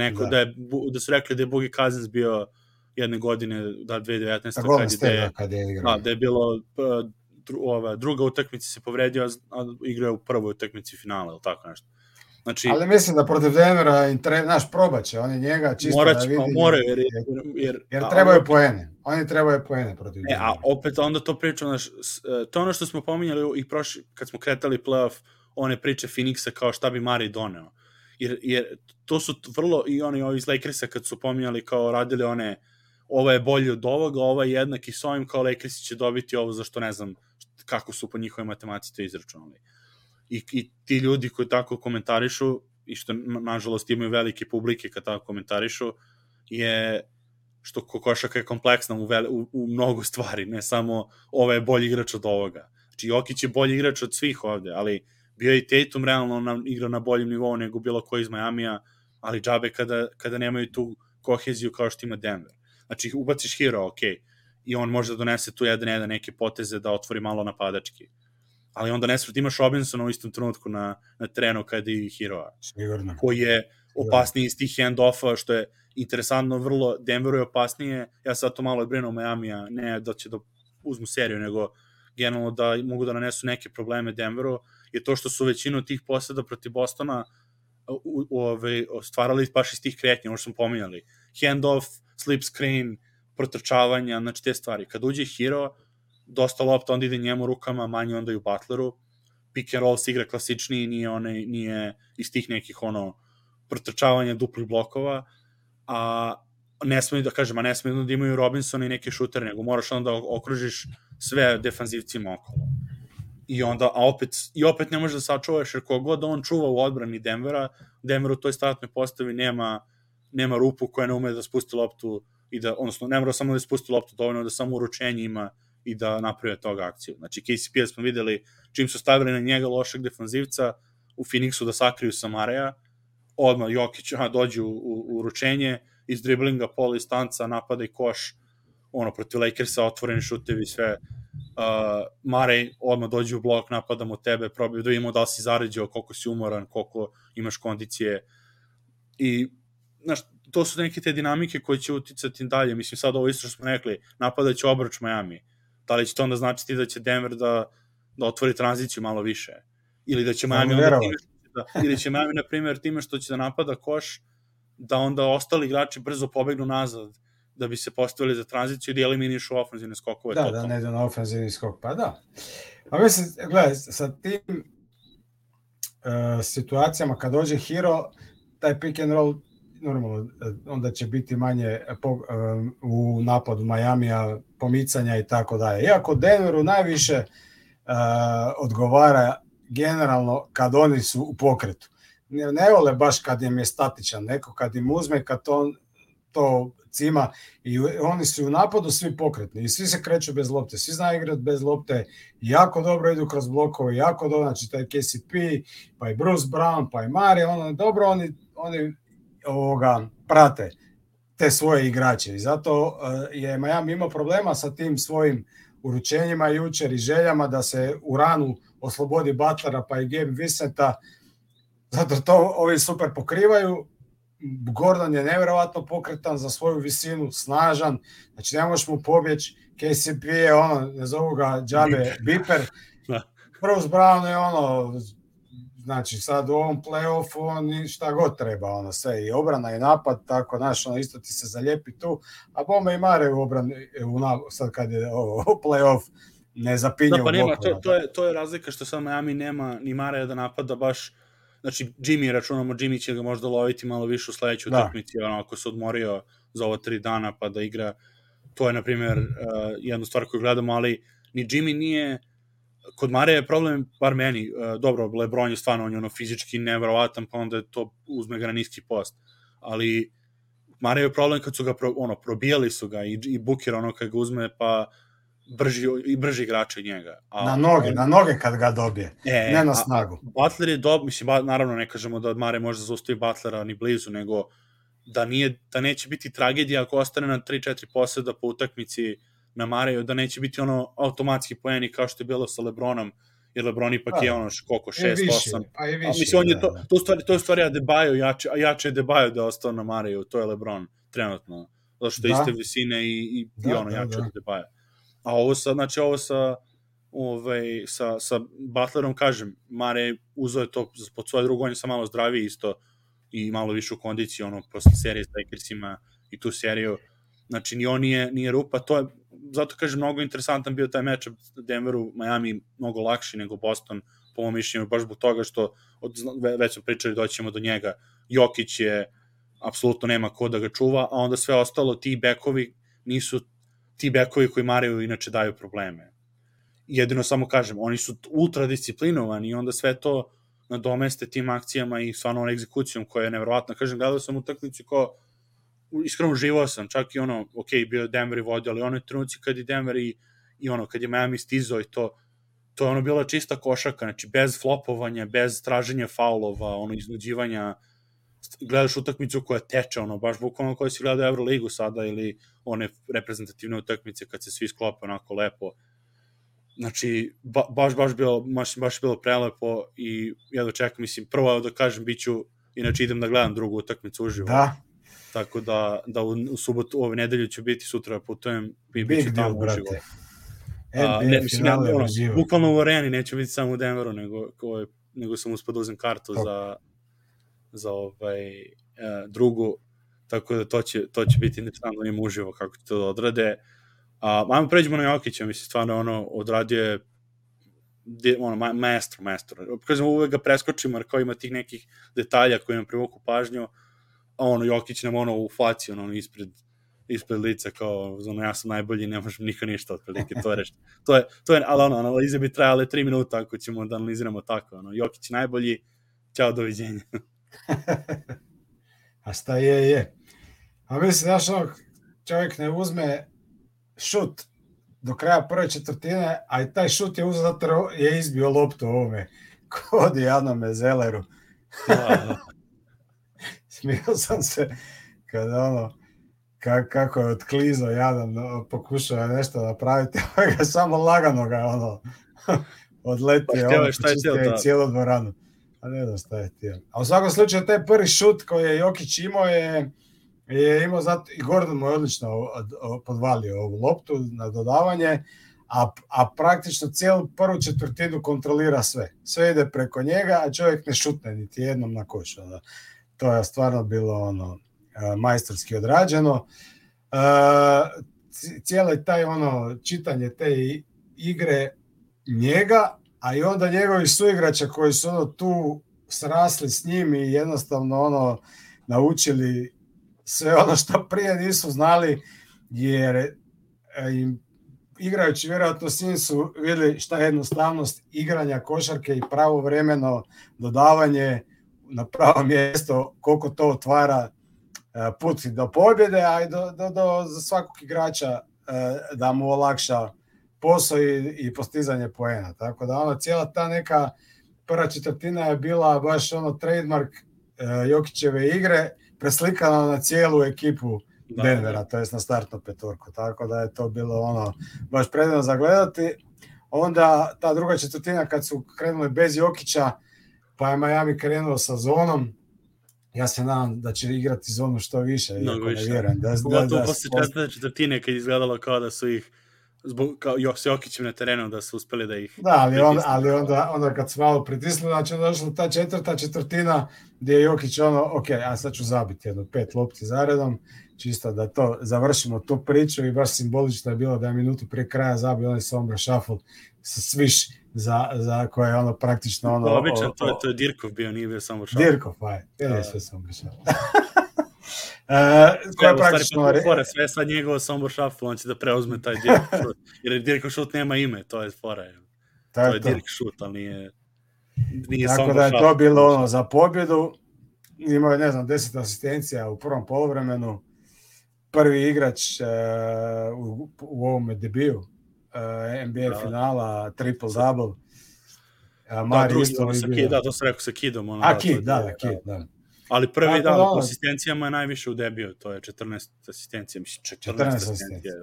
da su rekli da je Boogie Cousins bio jedne godine, 2019. kad je igrao. Da je bilo druga utakmica se povredio, a igrao u prvoj utakmici finala, ili tako nešto. Znači, ali mislim da protiv Denvera naš probaće, oni njega čisto da vidi. Jer trebaju poene. Oni trebaju poene protiv Denvera. A opet onda to pričam, to je ono što smo pominjali i kad smo kretali playoff, one priče Phoenixa kao šta bi Mari doneo. Jer to su vrlo, i oni iz Lakersa kad su pominjali kao radili ovo je bolji od ovoga, ovo je jednak i s ovim, kao Lakersi će dobiti ovo, zašto ne znam kako su po njihovoj matematici to izračunali. I ti ljudi koji tako komentarišu, i što nažalost imaju velike publike kad tako komentarišu, je što košarka je kompleksna u mnogo stvari, ne samo ovo je bolji igrač od ovoga. Znači Jokić je bolji igrač od svih ovde, ali bio je i Tatum realno igrao na boljem nivou nego bilo ko iz Majamija, ali džabe kada nemaju tu koheziju kao što ima Denver. Znači ubaciš Hero, ok, i on može da donese tu 1-1 neke poteze da otvori malo napadački. Ali onda nesvrti imaš Robinsona u istom trenutku na terenu kada i Hero-a. Sigurno. Koji je opasniji iz tih hand-offa, što je interesantno, vrlo Denveru je opasnije. Ja sad to malo brinuo Majamija, ne da će da uzmu seriju, nego generalno da mogu da nanesu neke probleme Denveru, je to što su većinu tih poseda protiv Bostona stvarali baš iz tih kretnja, ono što smo pominjali. Hand-off, slip screen, protrčavanja, znači te stvari. Kad uđe Hero, dosta lopta onda ide njemu rukama, manje onda i u Butleru. Pick and roll se igra klasičniji, nije iz tih nekih protrčavanja duplih blokova, a ne smiju da imaju Robinsona i neke šutere, nego moraš onda da okružiš sve defanzivcima okolo. I opet ne možeš da sačuvaš, jer kogod on čuva u odbrani Denver u toj startnoj postavi nema rupu koja ne ume da spusti loptu, odnosno ne mora samo da spusti loptu, dovoljno da samo uručenje ima i da napravi toga akciju. Znači KCP smo videli čim su stavili na njega lošeg defanzivca u Phoenixu da sakriju Samareja, odmah Jokić dođe u uručenje, iz driblinga, pola distanca, napada i koš, protiv Lakersa, otvoreni šutevi, sve. Marej odmah dođe u blok, napadamo tebe, probaju da vidimo da li si zaređao, koliko si umoran, koliko imaš kondicije. I, znaš, to su neke te dinamike koje će uticati dalje. Mislim, sad ovo isto što smo rekli, napadat će obruč Miami. Da li će to onda značiti da će Denver da otvori tranziciju malo više? Ili da će Miami ili će Miami, na primjer, time što će da napada koš, da onda ostali igrači brzo pobegnu nazad, da bi se postavili za tranziciju i da eliminišu ofenzivne skokove. Da ne idu na ofenzivni skok, pa da. A mislim, gledaj, sa tim situacijama kad dođe Hero, taj pick and roll normalno, onda će biti manje u napadu Majamija, pomicanja i tako dalje. Iako Denveru najviše odgovara generalno kad oni su u pokretu. Ne vole baš kad im je statičan, neko kad im uzme, kad to cima i oni su u napadu svi pokretni i svi se kreću bez lopte, svi znaju igrati bez lopte, jako dobro idu kroz blokove, jako dobro, znači taj KCP, pa i Bruce Brown, pa i Mari, dobro oni prate te svoje igrače i zato je Miami imao problema sa tim svojim uručenjima jučer i željama da se u ranu oslobodi Butlera pa i Gabe Vincenta, zato to ovi super pokrivaju. Gordon je nevjerovatno pokretan za svoju visinu, snažan, znači ne možeš mu pobjeći. KCP je ne zovu ga džabe Biper, Bruce Brown je znači sad u ovom play-offu on šta god treba, sve i obrana i napad, tako isto ti se zalijepi tu, a bome i Mare u obrani, sad kad je play-off ne zapinje u bloku. To je razlika što sad Miami nema ni Mare da napada baš. Znači, Jimmy će ga možda loviti malo više u sledećoj utakmici, ako se odmorio za ovo 3 dana pa da igra. To je, na primjer, jedna stvar koju gledamo, ali ni Jimmy nije, kod Mare je problem, bar meni, dobro, LeBron je stvarno, on je fizički neverovatan, pa onda to uzme ga na niski post, ali Mario je problem kad su ga probijali su ga i Booker kad ga uzme pa brži igrač od njega. Na noge kad ga dobije, ne na snagu. Butler je mislim, naravno ne kažemo da od Mare može da zaustavi Butlera ni blizu, nego da neće biti tragedija ako ostane na 3-4 poseda po utakmici na Mareju, da neće biti automatski poeni kao što je bilo sa LeBronom, jer LeBron ipak je koliko, 6-8. Mislim, on je to je stvari Adebayo, jače je Adebayo da je ostao na Mareju, to je LeBron trenutno, zato što je iste visine i jače od Adebayo. A ovo sa Butlerom, kažem, Mare uzeo je to pod svoje drugo, on je sam malo zdraviji isto i malo višu kondiciju, posle serije s Lakersima i tu seriju, znači ni on nije rupa, to je, zato kažem, mnogo interesantan bio taj meč Denveru, Miami mnogo lakši nego Boston, po mojom mišljenju, baš zbog toga što, već smo pričali, doćemo do njega, Jokić je, apsolutno nema ko da ga čuva, a onda sve ostalo, ti bekovi nisu ti bekovi koji Mariju inače daju probleme. Jedino samo kažem, oni su ultra disciplinovani i onda sve to nadomeste tim akcijama i stvarno egzekucijom koja je nevjerovatna. Kažem, gledao sam utakmicu kao iskreno uživao sam, čak i bio je Denver i vodio, ali onoj trenuci kad je Denver i kad je Miami stizao i to je bila čista košaka, znači bez flopovanja, bez traženja faulova, iznuđivanja, gledaš utakmicu koja teče, baš bukvalno koja si gledao Euroligu sada ili one reprezentativne utakmice kad se svi sklope onako lepo. Znači, baš bilo prelepo i ja dočekam, mislim, prvo da kažem, inače idem da gledam drugu utakmicu uživo. Da. Tako da u subotu, ove nedelju ću biti, sutra putujem i bit ću tamo uživo. Bukvalno u areni, neću biti samo u Denveru, nego sam uspio da uzem kartu za drugu, tako da to će biti interesantno im uživo kako će to da odrade. Ajmo pređemo na Jokića, mislim, stvarno odradio je maestro. Kažem, uvek ga preskočimo, jer kao ima tih nekih detalja koji nam privuku pažnju, a Jokić nam u faci, ispred lica, kao, ja sam najbolji, ne možem niko ništa, otprilike, to je, ali analize bi trajale 3 minuta, ako ćemo da analiziramo tako, Jokić najbolji, ćao, doviđenja. A šta je. A mislim, znaš, čovjek ne uzme šut do kraja prve četvrtine, a i taj šut je uzeo zato je izbio loptu ovome kod Janome Zelleru. Smio sam se kada kako je otklizao Jadan, pokušao nešto napraviti, ga samo lagano ga odletio cijelu dvoranu. A ne znam šta je htio. A u svakom slučaju taj prvi šut koji je Jokić imao je imao zato, i Gordon mu je odlično podvalio ovu loptu na dodavanje, a praktično cijelu prvu četvrtinu kontrolira sve. Sve ide preko njega, a čovjek ne šutne niti jednom na koš. To je stvarno bilo majstorski odrađeno. Cijelo taj čitanje te igre njega, a i onda njegovi suigrača koji su tu srasli s njim i jednostavno naučili sve ono što prije nisu znali, jer im igrajući vjerojatno s njim su vidjeli šta je jednostavnost igranja košarke i pravovremeno dodavanje na pravo mjesto, koliko to otvara put do pobjede, a i za svakog igrača da mu olakša posao i postizanje poena. Tako da cijela ta neka prva četvrtina je bila baš trademark Jokićeve igre, preslikana na cijelu ekipu Denvera, to jest na startnu petorku. Tako da je to bilo baš predivno za gledati. Onda ta druga četvrtina kad su krenuli bez Jokića, pa je Miami krenuo sa zonom. Ja se nadam da će igrati zonu što više. Mnogo više. Pogotovo posle četvrtine kad je izgledalo kao da su ih s Jokićem na terenu da su uspeli da ih... Da, ali onda kad su malo pritisli, znači došla ta četvrta četvrtina gdje je Jokić a sad ću zabiti 5 lopti zaredom, čisto da to završimo tu priču i baš simbolično je bilo da je minutu prije kraja zabio onaj sombra shuffle sa sviš za koje je praktično obično, to je Dirkov bio, nije bio sombra shuffle. Dirkov, je sve sombra shuffle. Sve sad njegovo sombra shuffle, on će da preuzme taj Dirkov šut, jer Dirkov šut nema ime, to je fora. To je Dirk šut, ali nije tako da je to bilo za pobjedu. Imao je 10 asistencija u prvom poluvremenu, prvi igrač u ovome debiju NBA finala, triple-double. Drugi, to sam rekao sa Kidom. Kid, Kid, da. Ali prvi po asistencijama je najviše u debiju, to je 14 asistencija, mislim 14 asistencija.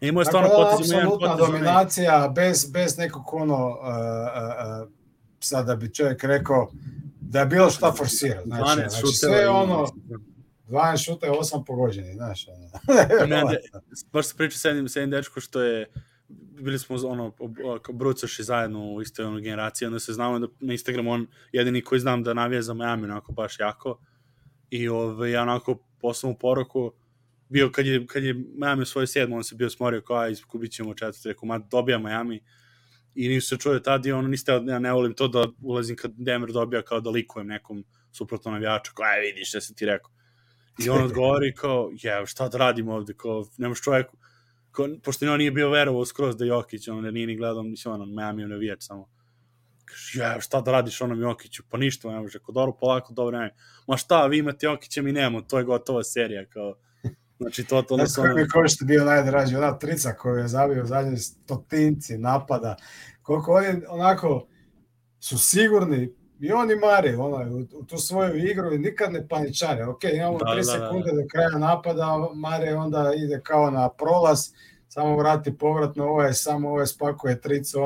Imao je stvarno potez, apsolutna dominacija, bez nekog sad da bi čovjek rekao da je bilo šta forsira. Znači sve 12 šuta je 8 pogođeni, znaš. Baš se priča sa jednim dečko što je, bili smo brucaši zajedno u istoj generaciji, onda se znamo da na Instagramu on jedini koji znam da navija za Miami, onako baš jako. I ja onako poslao mu poruku, bio kad je Miami svoje 7, on se bio smorio kao, izgubit ćemo 4, rekao, dobija Miami. I nisu se čuje tad i ja ne volim to da ulazim kad Denver dobija kao da likujem nekom suprotno navijaču, kao, vidiš šta sam ti rekao. I on odgovori kao, šta da radim ovde, kao, nemaš čoveku, pošto on nije bio verovao skroz da Jokić, nije ni gledao, mislim, Miami navijač samo. Kaže, šta da radiš Jokiću, pa ništa, ne može, kao, dobro, polako, dobro, ne. Ma šta, vi imate Jokića, mi nemamo, to je gotova serija, kao, znači, to... Znači, kako mi košta bio najdraži, ona trica koju je zabio u zadnjoj stotinci napada, koliko oni onako su sigurni, i oni mare u tu svoju igru i nikad ne paničare. Ok, imamo 3 sekunde do kraja napada, mare onda ide kao na prolaz, samo vrati povratno, ovo spakuje tricu,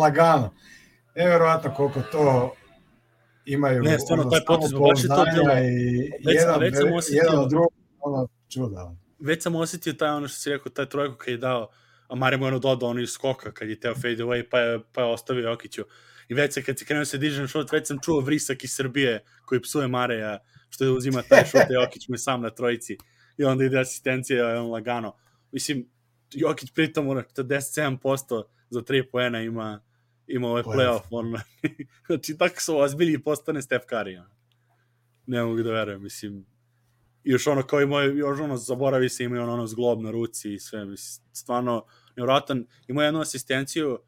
lagano. Nevjerovatno koliko to imaju. Ne, stvarno, taj potez, baš je to bilo. Jedan od drugog, čuda. Već sam osjetio taj, što si rekao, taj trojku kad je dao, a Mare mu dodao iz skoka kad je teo fade away, pa je ostavio Jokiću. I već kad se krenuo se dižem šut, već sam čuo vrisak iz Srbije koji psuje Mareja, što je uzima taj šut, Jokić mu je sam na trojici. I onda ide asistencija, lagano. Mislim, Jokić pritom 47% za 3 poena ima ovaj playoff. Znači, tako su ozbilji i postane Steph Curry. Ne mogu da verujem, mislim. I još kao i moj, zaboravi se, ima zglob na ruci i sve, mislim, stvarno nevjerojatan. Ima jednu asistenciju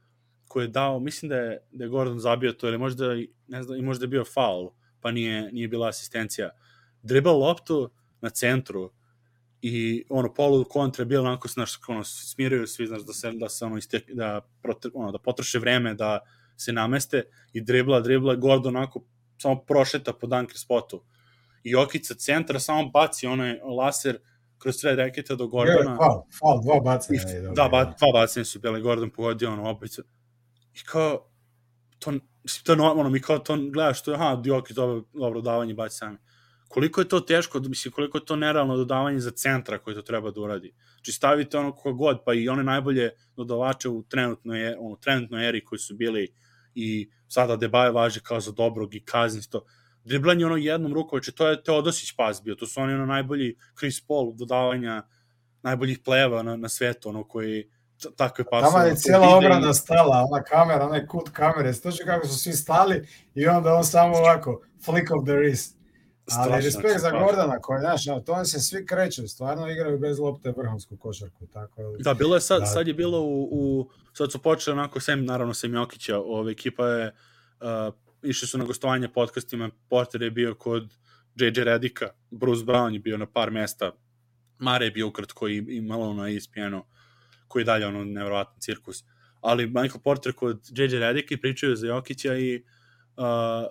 koju je dao, mislim da je Gordon zabio to, ili možda, ne znam, i možda je bio faul, pa nije bila asistencija. Dribla loptu na centru i polu kontra je bilo onako, smiraju svi, da potroše vreme, da se nameste i dribla, Gordon onako samo prošeta po dunker spotu. I Jokić sa centra samo baci onaj laser kroz sred reketa do Gordona. Faul, 2 bacanja. Da, 2 bacanja su bile, Gordon pogodio obicu. I kao, to je normalno, mi kao to gledaš, Jokić dobro davanje baci sami. Koliko je to teško, mislim, koliko je to nerealno dodavanje za centra koji to treba da uradi. Znači stavite kako god, pa i one najbolje dodavače u trenutnoj eri koji su bili i sada Debaje važe kao za dobrog i Kazinsto. Driblanje jednom rukom, to je Teodosić pas bio, to su oni najbolji Chris Paul dodavanja, najboljih plejeva na svetu, koji takve pasove. Tamo je cijela obrana stala, ona kamera, onaj kut kamere, stoči kako su svi stali i onda on samo ovako, flick of the wrist. Ali respekt za Gordana koji, to se svi kreću, stvarno igraju bez lopte vrhunsku košarku. Da, bilo je sad je bilo sad su počeli sem Jokića, ekipa je, išli su na gostovanje podcastima, Porter je bio kod JJ Redika, Bruce Brown je bio na par mesta, Mare je bio ukratko i malo na ESPN-u, koji je dalje nevjerovatan cirkus. Ali Michael Porter kod JJ Redika i pričaju za Jokića i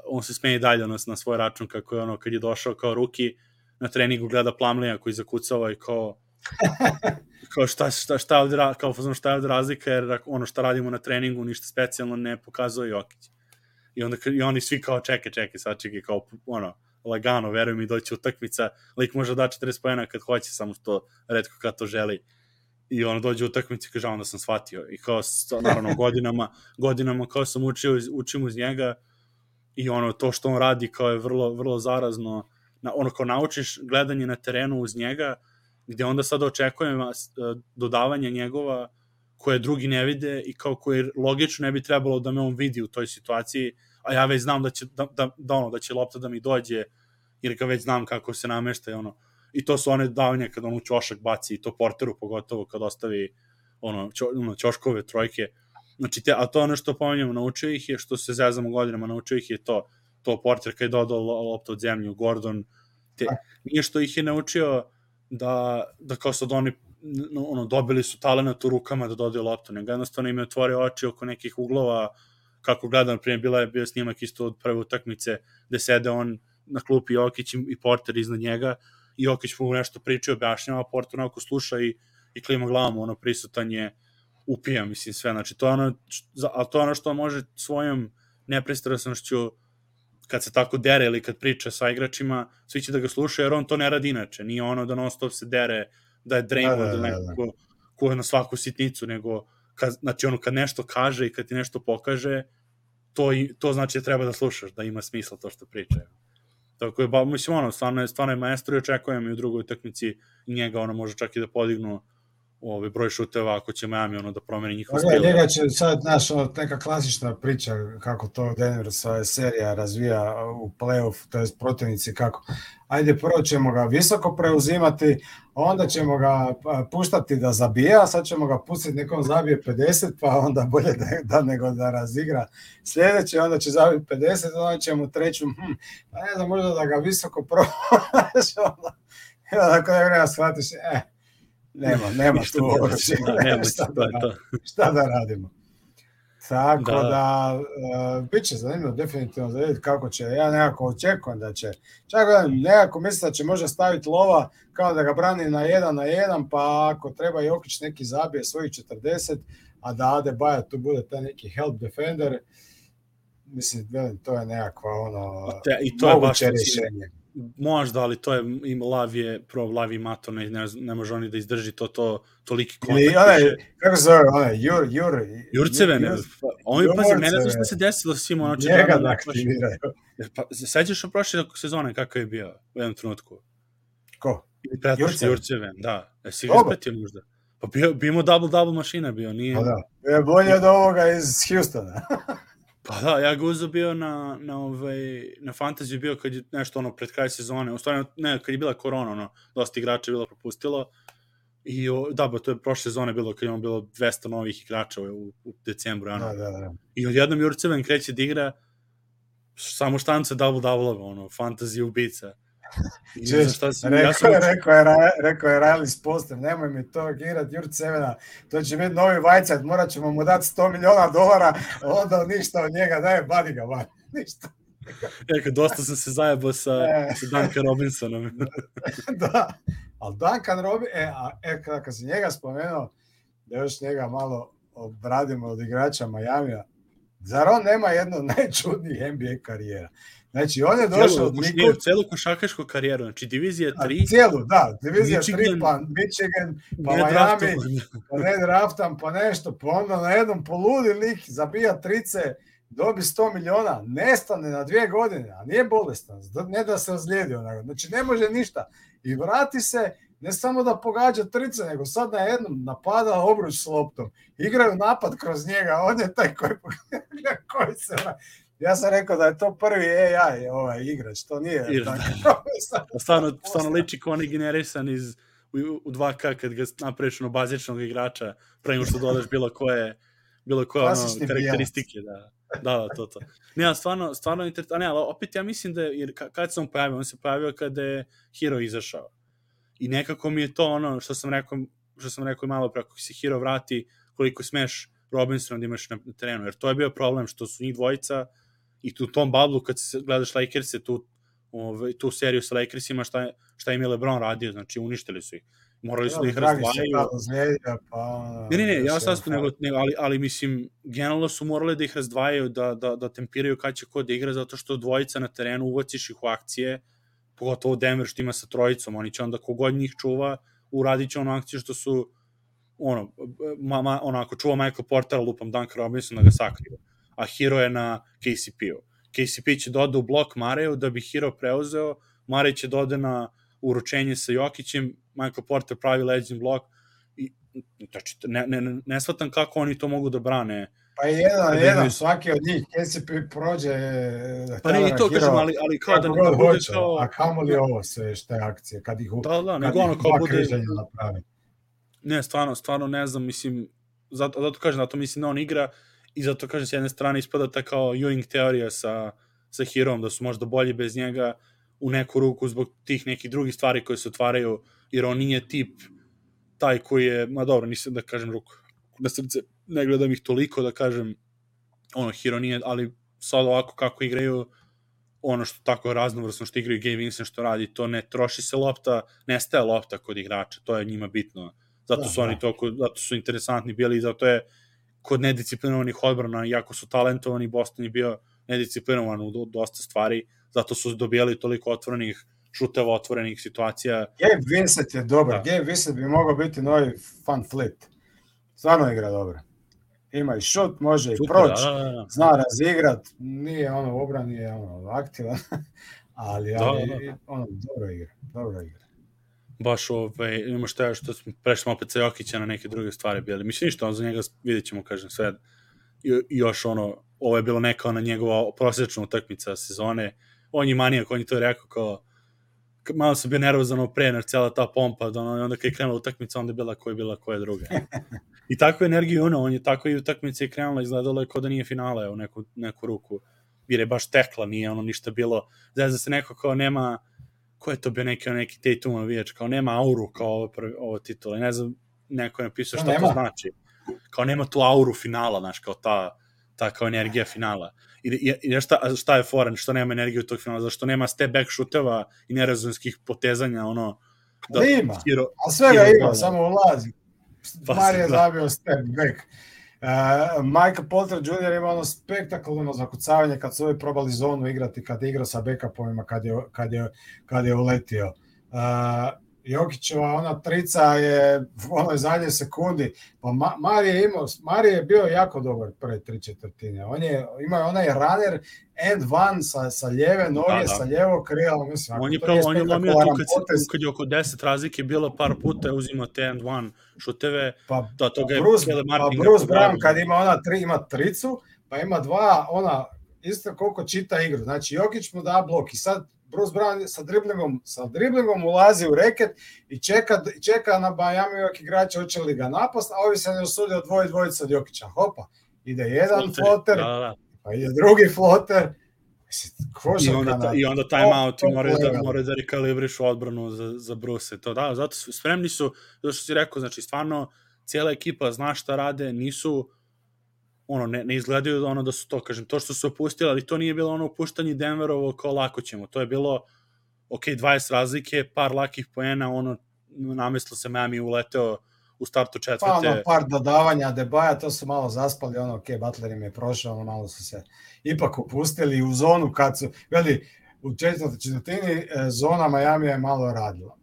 on se smeje dalje na svoj račun kako je kad je došao kao ruki na treningu gleda Plumleya koji zakucava i kao šta je ovde razlika jer šta radimo na treningu ništa specijalno ne pokazuje Jokić. I oni svi kao čekaj, sačekaj, kao lagano, veruj mi, doći utakmica, lik može da 40 poena kad hoće, samo što retko kad to želi. I dođe utakmica i kaže, onda sam shvatio. I kao, naravno, godinama kao sam učim uz njega i to što on radi kao je vrlo, vrlo zarazno. Kao naučiš gledanje na terenu uz njega, gde onda sada očekujem dodavanje njegova koje drugi ne vide i kao koje logično ne bi trebalo da me on vidi u toj situaciji, a ja već znam da će lopta da mi dođe, jer ga već znam kako se namešta i to su one davanje kad u ćošak baci i to Porteru pogotovo kad ostavi ćoškove trojke. Znači, a to ono što pomenjamo, naučio ih je, što se zezamo godinama, naučio ih je to Porter kad je dodao loptu od zemlju, Gordon nije što ih je naučio da kao sad oni dobili su talenat u rukama da dodaju loptu, nego jednostavno im je otvorio oči oko nekih uglova, kako gledam, prije bio snimak isto od prve utakmice, gde sede on na klupi Jokić i Porter iznad njega, i Jokić mu nešto priča i objašnjava, Porter onako sluša i klima glavom, prisutan je, upija, mislim, sve, znači, to je ono što može svojom nepristrasnošću, kad se tako dere ili kad priča sa igračima, svi će da ga slušaju, jer on to ne radi inače, nije ono da non stop se dere, da je Draymond ili neko ko je na svaku sitnicu, nego znači kad nešto kaže i kad ti nešto pokaže, to znači da treba da slušaš, da ima smisla to što priča. Tako je, mislim, stvarno je maestro i očekujem i u drugoj utakmici njega može čak i da podignu broj šuteva ako će Miami da promeni njihov stil. Njega će sad, neka klasična priča kako to Denver svoje serija razvija u play-off, to je protivnici kako. Ajde, prvo ćemo ga visoko preuzimati, onda ćemo ga puštati da zabija, sad ćemo ga pustiti nekom zabije 50, pa onda bolje nego da razigra sljedeće, onda će zabiti 50, onda ćemo treću, pa ne znam, možda da ga visoko probaš, onda kada je vremena shvatiš, nema tu oružje, šta da radimo. Tako da bit će zanimljivo definitivno da vidjeti kako će. Ja nekako očekujem da će, čak nekako mislim da će možda staviti lova kao da ga brani na 1-1, pa ako treba Jokić neki zabije svojih 40, a da Adebayo tu bude taj neki help defender, mislim, to je nekakva moguće rješenje. Možda, ali to je Lav i Mato, ne može oni da izdrži toliki kontakt. Kako se zove, Jurceven, pazi, mene znaš šta se desilo s njima, njega da aktiviraju. Pa, sećaš u prošle sezone kako je bio u jednom trenutku? Ko? Jurceven, da. Jesi ga ispratio možda? Pa bio imao double mašina bio, nije... Pa da, je bolje od ovoga iz Houstona. Pa da, ja ga uzeo bio na fantaziju bio kad je nešto pred kraj sezone, u stvari ne, kad je bila korona, dosta igrača je bilo propustilo i da, to je prošle sezone bilo kad je bilo 200 novih igrača u decembru, Da. I odjednom Jurceven kreće da igra samo štance double-double, fantazija ubica. Rekao je Riley s postem, nemoj mi to igrat Jurcevena, to će biti novi Vajcat, morat ćemo mu dati $100 miliona, onda ništa od njega, badi ga van, ništa. Dosta sam se zajebao sa Duncan Robinsonom. Da, ali Duncan Robinson, kad si njega spomenuo, da još njega malo obradimo od igrača Majamija, zar on nema jednu najčudnijih NBA karijera? Znači, on je došao... Celu košarkašku karijeru, znači divizija 3... divizija 3, pa Michigan, pa Miami, pa ne draftam, pa nešto, pa onda na jednom poludi lik zabija trice, dobi $100 miliona, nestane na 2 godine, a nije bolestan, ne da se ozlijedio, znači ne može ništa. I vrati se, ne samo da pogađa trice, nego sad na jednom napada obruč s loptom. Igraju napad kroz njega, on je taj koji se... Ja sam rekao da je to prvi AI igrač, to nije... Stvarno liči kao onaj generisan u 2K kad ga napraviš bazičnog igrača, prema što dodaš bilo koje karakteristike. Da, to. Ne, stvarno interesantno, ali opet ja mislim da, jer kad se on pojavio? On se pojavio kada je Hero izašao. I nekako mi je to što sam rekao malo pre, ako se Hero vrati, koliko smeš Robinson da imaš na terenu, jer to je bio problem što su njih dvojica i u tom bublu kad se gledaš Lakers-e, tu seriju sa Lakersima, šta im je LeBron radio, znači uništili su ih. Morali su da ih razdvajaju. Ne, ja sad ali mislim, generalno su morali da ih razdvajaju, da tempiraju kad će ko da igra, zato što dvojica na terenu uvaciš ih u akcije, pogotovo Denver što ima sa trojicom, oni će onda kogod njih čuva, uradit će onu akciju što su ako čuva Michael Portera, lupam Duncan Robinson da ga sakriju, a Hero je na KCP-u. KCP će doda u blok Mareju da bi Hero preuzeo, Marej će doda na uručenje sa Jokićem, Michael Porter pravi leđen blok i znači, ne shvatam kako oni to mogu da brane. Pa jedan svaki od njih KCP prođe pa ne i to kažem, ali kao da ne bude kao... A kamo li ovo sve šte akcije kad ih nego ono kao bude napravi. Ne, stvarno ne znam, mislim, zato kažem, zato mislim da on igra i zato kažem, s jedne strane ispada ta kao Ewing teorija sa Herom, da su možda bolji bez njega, u neku ruku zbog tih nekih drugih stvari koje se otvaraju, jer on nije tip taj koji je, ma dobro, nisam da kažem ruku na srce, ne gledam ih toliko da kažem Hero nije, ali sad ovako kako igraju, ono što tako raznovrsno što igraju Gabe Vincent što radi, to ne troši se lopta, nestaje lopta kod igrača, to je njima bitno. Zato su oni toliko, zato su interesantni bili i zato je kod nedisciplinovanih odbrana, iako su talentovani, Boston je bio nedisciplinovan u dosta stvari, zato su dobijali toliko otvorenih šuteva, otvorenih situacija. Gabe Vincent je dobar, Gabe Vincent bi mogao biti novi Van Fleet. Stvarno igra dobro. Ima i šut, može i proći, zna razigrat, nije u obrani, nije aktivan, ali dobro igra. Baš ima što prešli opet sa Jokića na neke druge stvari bili. Mislim ništa, za njega vidjet ćemo, kažem, sve. I još ovo je bilo neka njegova prosječna utakmica sezone. On je manijak, on je to rekao kao, malo sam bio nervozan pre, cijela ta pompa, onda kad je krenula utakmica, onda je bila koja druga. I takvu energiju on je tako i utakmica i krenula, izgledalo je kao da nije finale u neku ruku, jer je baš tekla, nije ništa bilo, da se neko kao nema, ko je to bio neki Tatum navijač, kao nema auru kao ovo titula, ne znam, neko je napisao šta to znači, kao nema tu auru finala, znaš, kao ta kao energija finala. I šta je foran, što nema energiju tog finala, zašto nema step back šuteva i nerazumskih potezanja, da ima, a svega ima, samo ulazi. Marije je zabio step back. Michael Porter Jr. ima spektakularno zakucavanje kad su ovi probali zonu igrati, kad je igrao sa backupovima, kad je uletio. Jokićeva ona trica je u onoj zadnjoj sekundi, pa Marije je bio jako dobar prve 3/4. On je imao onaj runner and one sa lijeve noge, sa lijevog krila, mislim. On je lomio tu kad je oko 10 razlike bilo par puta, uzima te and one šuteve. Bruce Brown kad ima tricu, pa ima dva, isto koliko čita igru. Znači Jokić mu da blok i sad Bruce Brown sa driblingom ulazi u reket i čeka na Miami igrača hoće li ga napast, a ovi se ne usude odvojiti dvojica od Jokića. Hopa, ide jedan floter, pa ide drugi floter. I onda timeout i moraju da rekalibrišu odbranu za Bruce. To da, zato spremni su, zato što si rekao, znači stvarno cijela ekipa zna šta rade, nisu ne izgledaju da su to, kažem, to što su opustili, ali to nije bilo opuštanje Denverovo kao lako ćemo, to je bilo 20 razlike, par lakih poena, namestilo se Miami uleteo u startu četvrte. Pa par dodavanja Debaja, to su malo zaspali, Butler im je prošao, malo su se ipak opustili u zonu kad su, u četvrtoj četvrtini zona Miami je malo radila.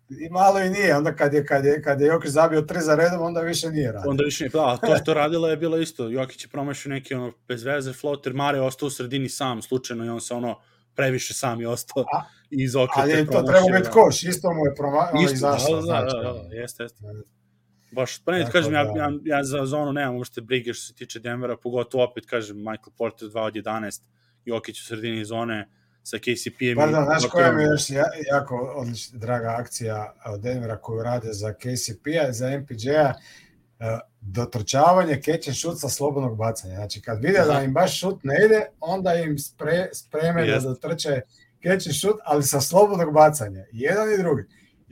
I malo i nije, onda kad je Jokić zabio 3 za redom, onda više nije radio. Onda više nije, a to što radila je bilo isto, Jokić je promašio neki bez veze floater, Mare je ostao u sredini sam slučajno i on se previše sam je ostao iz okreta. Ali to treba biti koš, isto mu je izašlo. Jeste. Baš, pa ne, kažem, ja za zonu nemam uopšte brige što se tiče Denvera, pogotovo opet, kažem, Michael Porter 2 od 11, Jokić u sredini zone, sa KCP-em. Pardon, znaš koja mi je još jako odlična, draga akcija od Denvera koju rade za KCP-a, za MPJ-a, dotrčavanje, catch and shoot sa slobodnog bacanja. Znači, kad vide da im baš šut ne ide, onda im spreme da dotrče catch and shoot, ali sa slobodnog bacanja. I jedan i drugi.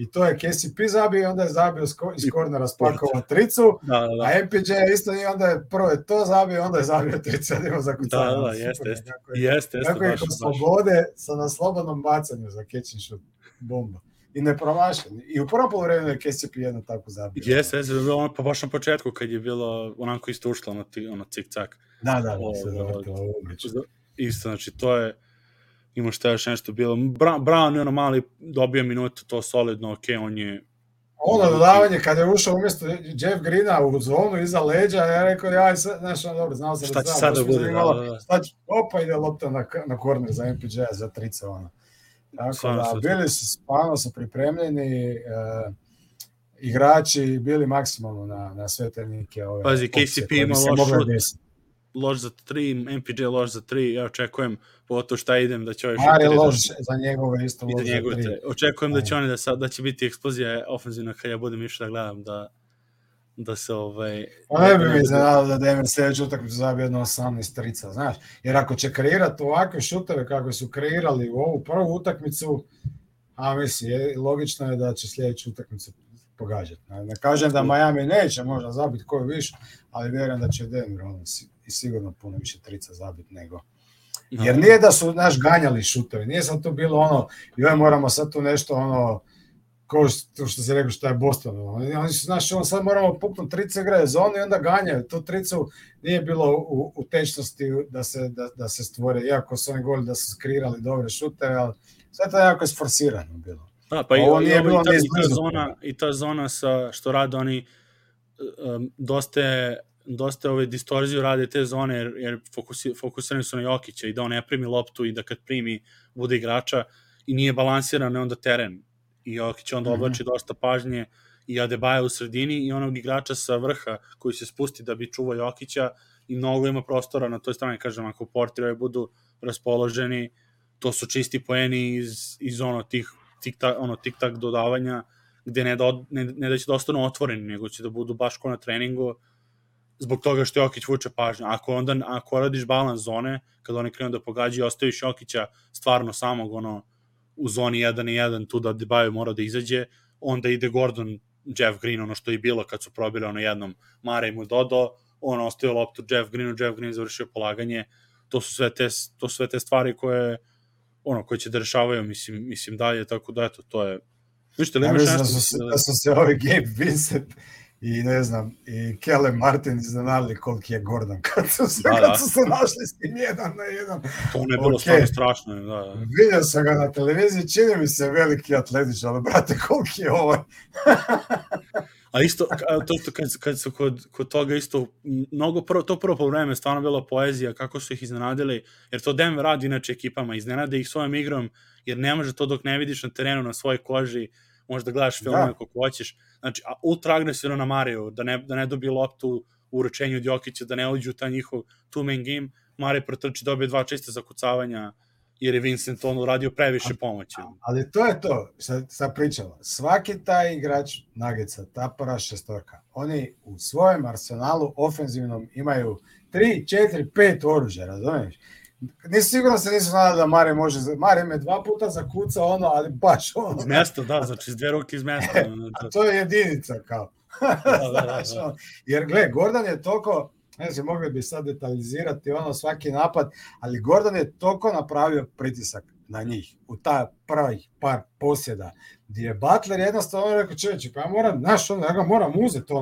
I to je KCP zabio, onda je zabio iz kornera spakovao tricu, a MPJ isto nije, onda je prvo to zabio, onda je zabio tricu, da ima zakucavanje. Jeste. Kako je kod slobode na slobodnom bacanju za catch and shoot, bomba. I ne promašen. I u prvom poluvremenu je KCP jedno tako zabio. Jeste, pa baš na početku kad je bilo onako isto ušlo cik-cak. Da, se zavrtilo isto, znači to je ima šta još nešto bilo. Brown je mali dobio minutu, to solidno, on je... dodavanje, kada je ušao umjesto Jeff Greena u zonu iza leđa, ja rekao, dobro, znao sam šta će sad da bude, opa, ide lopta na korner za MPJ-a, za trica, Tako da, bili su, stvarno su pripremljeni, igrači bili maksimalno na sve tehnike. Pazi, KCP ima loš za 3, MPJ loš za 3, ja očekujem pogotovo šta idem da će ovaj šuteri... Mare loš za njegove isto loš za 3. Očekujem da će oni da će biti eksplozija ofenzivna kad ja budem išao da gledam da se ne bi mi iznenadilo da Denver sljedeću utakmicu zabije jedno 18 trica, znaš. Jer ako će kreirati ovakve šuteve kako su kreirali u ovu prvu utakmicu, a mislim, logično je da će sljedeću utakmicu pogađati. Ne kažem da Miami neće možda zabiti koju više, ali vjerujem da će Denver i sigurno puno više trica zabiti nego. Jer nije da su ganjali šutevi, nije sad to bilo joj moramo sad tu nešto kao što si rekao što je Boston. Oni su, sad moramo puknuti trice igraje zonu i onda ganjaju. Tu tricu nije bilo u tečnosti da se stvore, iako su oni govorili da su skrirali dobre šuteve, ali sve to je jako isforsirano bilo. Da, pa i ta zona sa što rade oni dosta distorziju rade te zone jer fokusirani su na Jokića i da on ne primi loptu i da kad primi bude igrača i nije balansiran onda teren i Jokić onda oblači dosta pažnje i Adebayo u sredini i onog igrača sa vrha koji se spusti da bi čuvao Jokića i mnogo ima prostora na toj strani, kažem, ako portiri budu raspoloženi, to su čisti poeni iz tih tik-tak dodavanja, gde ne da će da ostanu otvoreni, nego će da budu baš ko na treningu, zbog toga što Jokić vuče pažnju. Ako radiš balans zone, kada oni krenu da pogađaju, ostaviš Jokića stvarno samog u zoni 1-1, tu da Adebayo mora da izađe, onda ide Gordon, Jeff Green, ono što je bilo kad su probili jednom, Mare mu dodao, on ostavio loptu Jeff Green završio polaganje, to su sve te stvari koje će da rešavaju, mislim dalje, tako da eto, to je... Ja mislim da su se ovi Gabe Vincent i ne znam, i Kellen Martin iznenadili koliki je Gordon kad su se našli s tim 1-1. To ne je bilo stvarno strašno. Da. Vidio sam ga na televiziji, čini mi se veliki atletič, ali brate, koliki je ovaj. A isto, kad su kod toga isto, to prvo po vreme stvarno bila poezija, kako su ih iznenadili, jer to Denver radi inače ekipama, iznenade ih svojom igrom, jer ne može to dok ne vidiš na terenu, na svojoj koži, možda gledaš filmove kako hoćeš, znači, ultra agresivno na Mariju, da ne dobije loptu u uručenju od Jokića, da ne uđu u taj njihov two-man game, Marij protrči, dobije 2 čiste zakucavanja, jer je Vincent uradio previše pomoći. Ali to je to, sad pričamo. Svaki taj igrač Nuggetsa, ta prva šestorka, oni u svojem arsenalu ofenzivnom imaju 3, 4, 5 oružja, razumiješ? Sigurno se nisu znali da Mare može, Mare me 2 puta zakuca ali baš Iz mesta, da, znači iz 2 ruke iz mesta. A to je jedinica kao. Da. Jer gle, Gordon je toliko, ne znam, mogli bi sad detaljizirati svaki napad, ali Gordon je toliko napravio pritisak na njih u ta prvih par posjeda, gdje je Butler jednostavno rekao, čovječe, pa ja ga moram uzeti,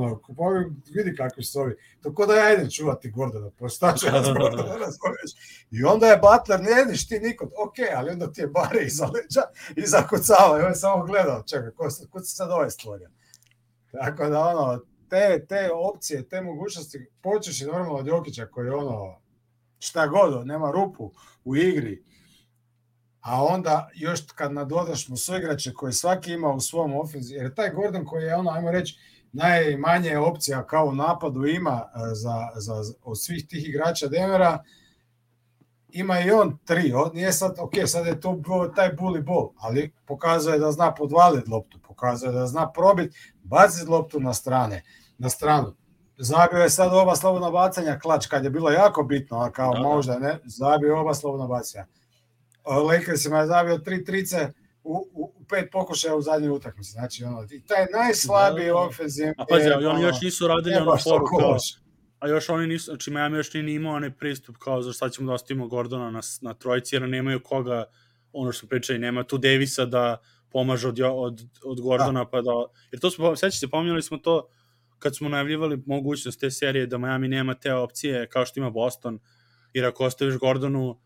vidi kakvi su ovi, tako da ja idem čuvati Gordona, postaču Gordona, razumiješ. I onda je Butler, ne jediš ti nikod, ali onda ti je Bare iza leđa i zakucava, i on je samo gledao, čekaj, kud se sad ovaj stvorio. Tako da te opcije, te mogućnosti, počeš i normalno od Jokića koji šta god, nema rupu u igri, a onda još kad nadodaš mu suigrače koje svaki ima u svom ofenziju, jer taj Gordon koji je ajmo reći, najmanje opcija kao u napadu ima od svih tih igrača Denvera, ima i on 3, nije sad, sad je to taj bully ball, ali pokazuje da zna podvaliti loptu, pokazuje da zna probiti, baciti loptu na stranu. Zabio je sad oba slobodna bacanja klač, kad je bilo jako bitno, kao možda ne, zabio oba slobodna bacanja. Lakersima je zabio 3 trice u 5 pokušaja u zadnjoj utakmici. Znači, taj najslabiji ofenzivni... A pazi, oni još nisu radili foru kao... A još oni nisu, znači Miami još nije imao onaj pristup kao za šta ćemo da ostavimo Gordona na trojici, jer nemaju koga, ono što smo pričali, nema tu Davisa da pomaže od Gordona, pa da... Jer to smo, sećate se, pominjali smo to kad smo najavljivali mogućnost te serije da Miami nema te opcije kao što ima Boston, jer ako ostaviš Gordonu,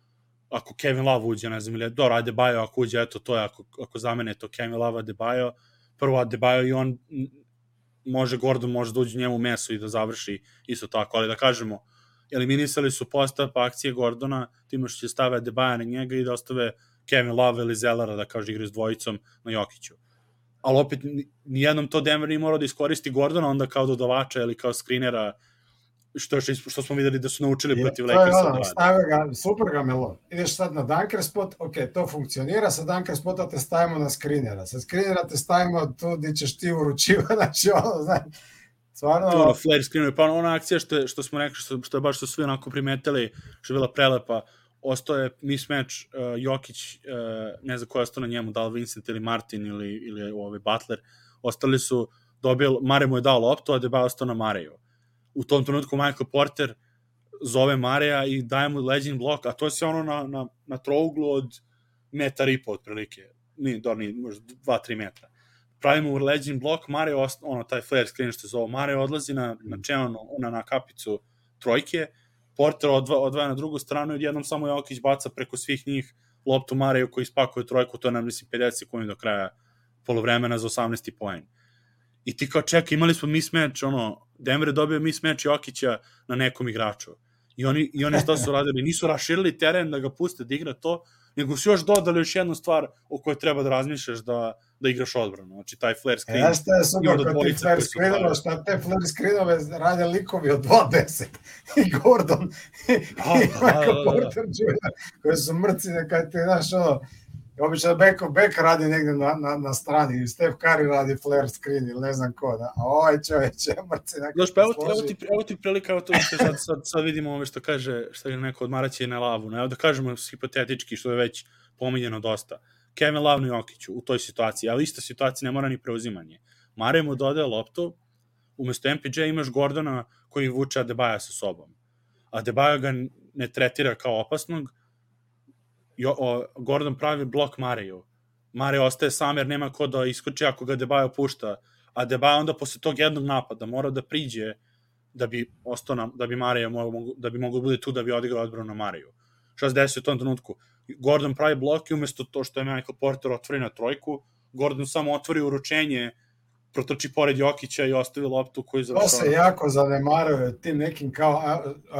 ako Kevin Love uđe, ne znam, ili dobro, Adebayo ako uđe, eto, to je, ako zamene to Kevin Love, Adebayo, prvo Adebayo i on Gordon može da uđe njemu u meso i da završi isto tako, ali da kažemo, eliminisali su postup akcije Gordona, time što će stave Adebayo na njega i da ostave Kevin Love ili Zellera da kaže igre s dvojicom na Jokiću. Ali opet, nijednom to Denver nije morao da iskoristi Gordona onda kao dodavača ili kao skrinera, što smo videli da su naučili protiv Lakersa. Super ga Melo. Ideš sad na dunker spot, to funkcionira, sa dunker spota te stavimo na skrinera. Sa skrinera te stavimo tu gdje ćeš ti uručivati, znači stvarno... Flare screenovi, pa ona akcija što smo rekli, što je baš što svi onako primetili, što je bila prelepa, ostao je mismatch Jokić, ne znam ko je ostao na njemu, da li Vincent ili Martin ili Butler, ostali su Mare mu je dao loptu, a Adebayo ostao na Mareju. U tom trenutku Michael Porter zove Mareja i daje mu leđin blok, a to je sve ono na trouglu od 1,5 m otprilike, možda 2-3 metra. Pravimo leđin blok, Marej, taj flare screen što se zove, Marej odlazi na čeon, na kapicu trojke, Porter odvaja na drugu stranu i odjednom samo Jokić baca preko svih njih loptu Mareju koji ispakuje trojku, to je nam, mislim, 50 sekundi do kraja polovremena za 18. poen. I ti kao čekaj, imali smo mismatch, Denver je dobio mismatch Jokića na nekom igraču. I oni što su radili, nisu raširili teren da ga puste da igra to, nego su još dodali još jednu stvar o kojoj treba da razmišljaš da igraš odbranu. Znači, taj flare screen. Ja šta je super kod tih flare screenova, šta te flare screenove rade likovi od 2-10. I Gordon, i Michael Porter Jr. koji su mrci, nekaj ti, znaš, obično Beck radi negdje na strani, Steph Curry radi flare screen ili ne znam ko, da. A ovaj čovječ je mrci. Znaš, pa evo ti prilika, evo to što sad vidimo ove što kaže, što je neko odmaraće na lavu. Evo da kažemo hipotetički, što je već pominjeno dosta. Kevin Love na Jokiću u toj situaciji, ali ista situacija ne mora ni preuzimanje. Marej mu dodaje loptu, umesto MPJ imaš Gordona koji vuče Adebayo sa sobom. Adebayo ga ne tretira kao opasnog, Gordon pravi blok Mareju. Marej ostaje sam jer nema ko da iskoči ako ga Adebayo pušta. Adebayo onda posle tog jednog napada mora da priđe da bi Mareja da bi mogao bude tu da bi odigrao odbranu na Mareju. Šta se desi u tom trenutku? Gordon pravi blok i umesto to što je Michael Porter otvori na trojku, Gordon samo otvori uručenje, protrči pored Jokića i ostavi loptu koju završava. To se jako zanemaruje tim nekim kao,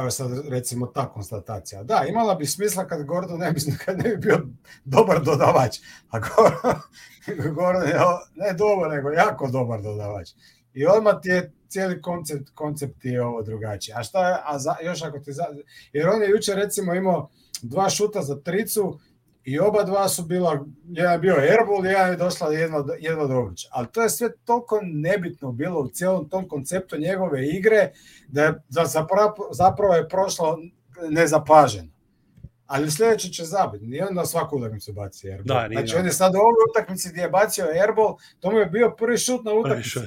sad recimo ta konstatacija. Da, imala bi smisla kad Gordon ne bi bio dobar dodavač. A Gordon je ne dobar, nego jako dobar dodavač. I odmah ti je cijeli koncept je ovo drugačiji. A šta je, još ako ti jer on je jučer recimo imao 2 šuta za tricu i oba dva su bila, jedan je bio airball, jedan je došla jedva do obliča. Ali to je sve toliko nebitno bilo u cijelom tom konceptu njegove igre, da zapravo je prošlo nezapaženo. Ali sljedeće će zabiti. Nije onda svaku utakmicu baci airball. Znači on je sad u ovoj utakmici gdje je bacio airball, to mu je bio prvi šut na utakmici.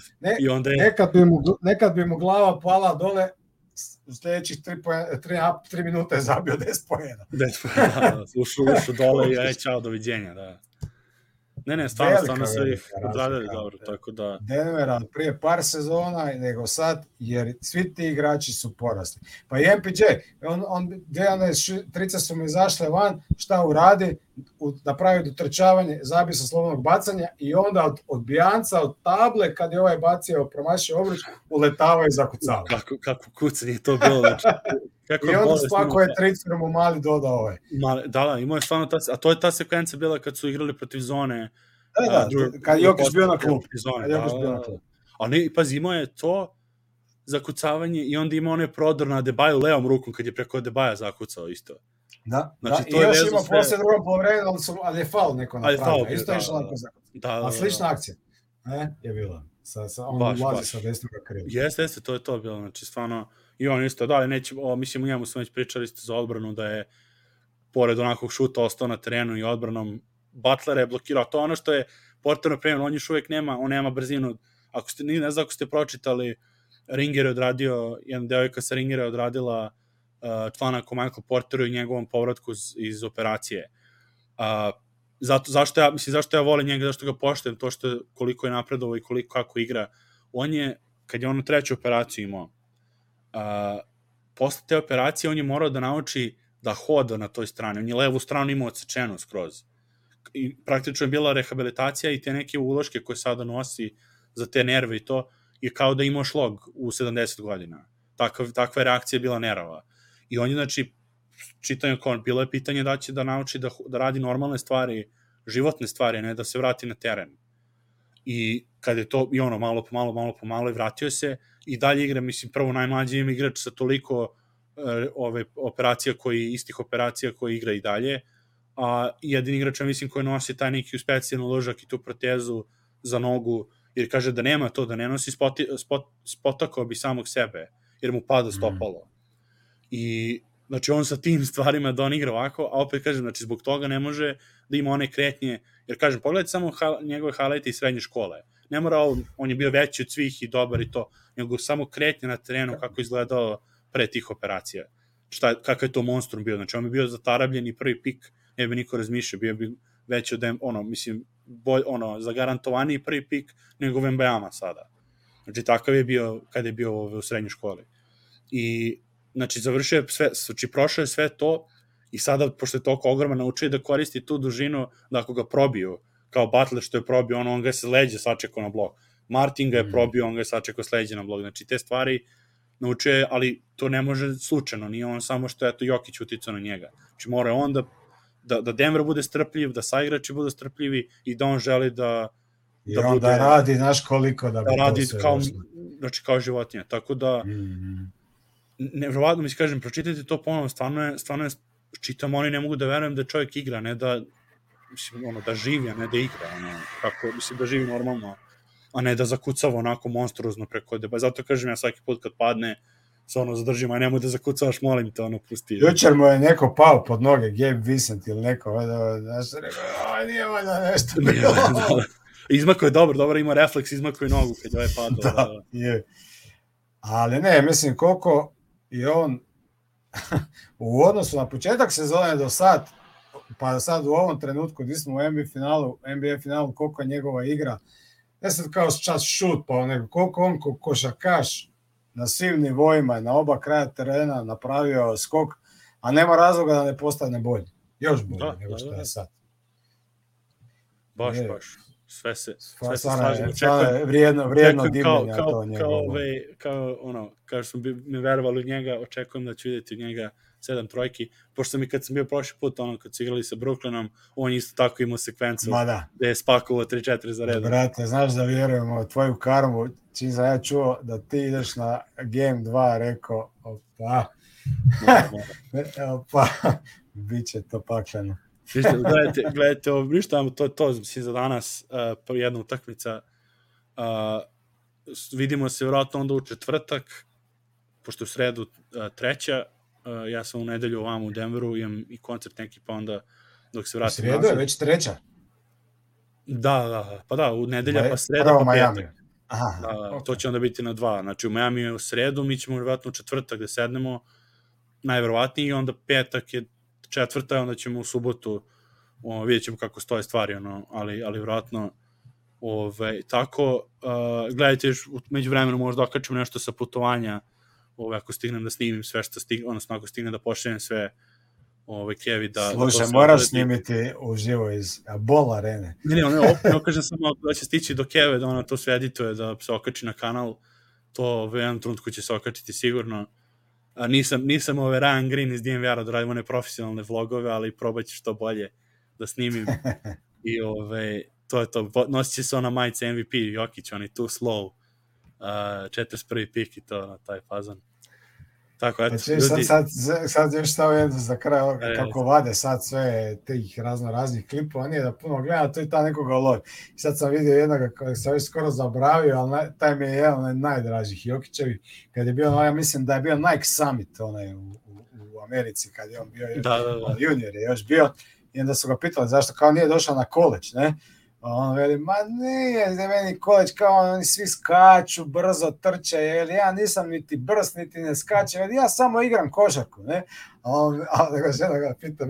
Nekad bi mu glava pala dole, u sljedećih 3 minute je zabio 10 poena. 10 poena, ušao dole i aj čao, doviđenja, da. Ne, stvarno su ih odradili dobro, tako da... Denvera prije par sezona, nego sad, jer svi ti igrači su porasli. Pa i MPJ, trice su mu izašle van, šta uradi? Napravi dotrčavanje, zabije sa slobodnog bacanja i onda od odbijanca, od table, kad je ovaj bacio promašio obruč, uletava i zakucava. Kako kucanje je to bilo, znači... I onda spakuje tricu mu mali doda ovaj. Da, imao je stvarno a to je ta sekvencija bila kad su igrali protiv zone. Da, kad Jokić bio na klub. Ali, pazi, imao je to zakucavanje i onda imao onaj prodor na Adebayo levom rukom kad je preko Adebayo zakucao isto. Da, i još ima poslije drugom polovremenu, ali je faul neko napravio. Isto je išlo onako zakucao. A slična akcija je bila. On ulazi sa desnoga krila. Jeste, to je to bilo. Znači, stvarno, i on isto, da, mislim, u njemu smo već pričali isto za odbranu, da je pored onakvog šuta ostao na terenu i odbranom Butler je blokirao. To ono što je Porter napravio, on još uvijek nema brzinu. Ne znam ako ste pročitali, Ringer je odradio, jedna devojka sa Ringera je odradila članak o Michael Porteru i njegovom povratku iz operacije. Zašto ja volim njega, zašto ga poštujem, to što koliko je napredovao i kako igra. Kad je on u treću operaciju imao, posle te operacije on je morao da nauči da hoda na toj strani. On je levu stranu imao odsečenu skroz. I praktično je bila rehabilitacija i te neke uloške koje sada nosi za te nerve i to je kao da imao šlog u 70 godina. Takva je reakcija bila nerava. I on je, znači, čitanje kao bilo je pitanje da će da nauči da radi normalne stvari, životne stvari, ne da se vrati na teren. I kad je to, i ono, malo po malo i vratio se i dalje igra, mislim, prvo najmlađi im igrač sa toliko istih operacija koji igra i dalje, a jedini igrač, mislim, koji nosi taj neki specijalni ložak i tu protezu za nogu jer kaže da nema to, da ne nosi spotakao bi samog sebe, jer mu pada stopalo. I znači on sa tim stvarima da on igra ovako, a opet kažem, znači zbog toga ne može da ima one kretnje, jer kažem, pogledajte samo njegove highlighte iz srednje škole. Ne mora on je bio veći od svih i dobar i to, nego samo kretnje na terenu kako izgledao pre tih operacija. Kakav je to monstrum bio, znači on bi bio zatarabljen i prvi pik, ne bi niko razmišljao, bio bi veći od, mislim, zagarantovaniji prvi pik nego Wembanyama sada. Znači takav je bio kada je bio u srednjoj školi. I znači završio je sve, znači prošao je sve to i sada, pošto je toliko ogroman, naučio da koristi tu dužinu, da ako ga probiju, kao Butler što je probio, on ga se leđe sačekao na blok. Martin ga je probio, on ga je sačekao s leđe na blok. Znači te stvari naučio je, ali to ne može slučajno, nije on samo što je to Jokić uticao na njega. Znači mora on da Denver bude strpljiv, da saigrači budu strpljivi i da on želi da I on da radi, znaš koliko da radi kao životinja. Tako da nevjerovatno mi se kažem, pročitajte to ponovno, stvarno je, čitam, oni ne mogu da verujem da čovjek igra, ne da, mislim, da živi, a ne da igra, kako, mislim, da živi normalno, a ne da zakucava onako monstruozno preko deba. Zato kažem ja svaki put kad padne, se zadržim, a nemoj da zakucavaš, molim te, pusti. Jučer mu je neko pao pod noge, Gabe Vincent ili neko, znaš, rekao, nije valjda nešto bilo. Izmako je dobro, ima refleks, izmako je nogu kad je padao. Da, je. Ali ne, mislim, koliko je on u odnosu na početak sezone do sad, pa sad u ovom trenutku gdje smo u NBA finalu, koliko je njegova igra, ne sad kao čas šut, pa nego koliko on košarkaš na svim nivoima, na oba kraja terena napravio skok, a nema razloga da ne postane bolji. Još bolji nego što je sad. Baš. Sve se slažemo. Vrijedno divljenja to njegovo. Kao što mi verovali u njega, očekujem da ću vidjeti od njega 7 trojki, pošto kad sam bio prošli put, kad su igrali sa Brooklynom, on isto tako imao sekvencu gde je spakovao 3-4 za redom. Brate, znaš da vjerujemo u tvoju karmu, čim sam ja čuo da ti ideš na Game 2, rekao, bit će to pakleno. Gledajte, ništa, to mislim za danas, jedna utakmica, vidimo se vjerojatno onda u četvrtak, pošto u sredu treća, ja sam u nedelju ovamo u Denveru, imam i koncert neki, pa onda dok se vratim nazad. Sredo je već treća? Da, pa da, u nedelja pa sreda pa petak. To će onda biti na 2, znači u Miami je u sredu, mi ćemo vjerojatno u četvrtak da sednemo, najverovatnije, i onda petak je četvrta, onda ćemo u subotu, vidjet ćemo kako stoje stvari, ali vjerojatno tako, gledajte, među vremenu možda okačemo nešto sa putovanja, ako stignem da snimim sve što stignem, odnosno ako stignem da pošaljem sve Kevi da... Slušaj, moraš snimiti uživo iz Bol arene. Ne okažem samo da će stići do Keve, da ona to sve edituje, da se okači na kanal, to u jednom trenutku će se okačiti sigurno. Nisam Ryan Green iz DNVR-a da radimo one profesionalne vlogove, ali probat ću što bolje da snimim. I to je to. Nosit će se ona majica MVP, Jokić, on je too slow. 41. pik i to na taj fazan. Tako, eto, ljudi. Sad još stao jedno za kraj, kako vade sad sve tih raznih klipova, nije da puno gleda, to je ta nekoga lovi. Sad sam vidio jednoga kojeg sam već skoro zabravio, ali taj mi je jedan od najdražih Jokićevi, kad je bio, ja mislim da je bio Nike Summit u Americi, kad je on bio junior je još bio, i onda su ga pitali zašto kao nije došao na college, ne? On veli, ma nije, meni college kao oni svi skaču, brzo trče, jer ja nisam niti brz, niti ne skačem, jer ja samo igram košarku, ne? A nego žena ga pita,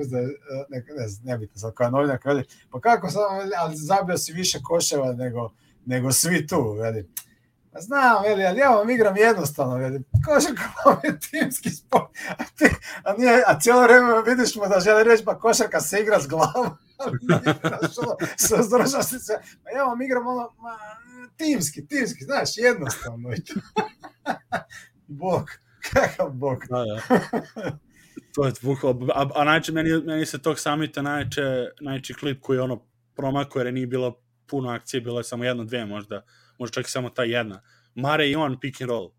ne bitno, sad kao novinak, veli, pa kako sam, ali zabio si više koševa nego svi tu, veli. Znam, veli, ali ja vam igram jednostavno, veli, košarka vam je timski sport, a cijelo vreme vidiš mu da želi reći, pa košarka se igra s glavom. Ja vam igram timski, znaš, jednostavno. Bog, kakav bog. To je a najče, meni se tog samita najče klip koji je promakao, jer nije bilo puno akcije, bilo je samo 1-2 možda čak i samo ta jedna. Mare i on pick and roll.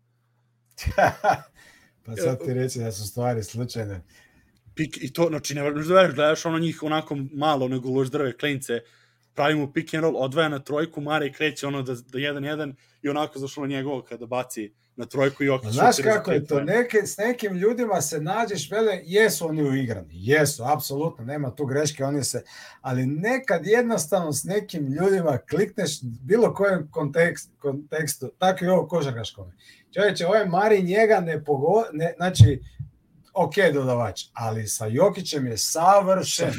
Pa sad ti reći da su stvari slučajne. I to, znači, ne možda veriš, gledaš njih onako malo nego lož drve klince, pravi mu pick and roll, odvaja na trojku, Mare kreće ono da 1-1 i onako zašlo njegovo kada baci na trojku i Jokić. Znaš kako je to, s nekim ljudima se nađeš, vele, jesu oni uigrani, jesu, apsolutno, nema tu greške, ali nekad jednostavno s nekim ljudima klikneš bilo kojem kontekstu, tako i ovo košarkaškome. Čovječe, ovaj Mari njega znači, ok, dodavač, ali sa Jokićem je savršen.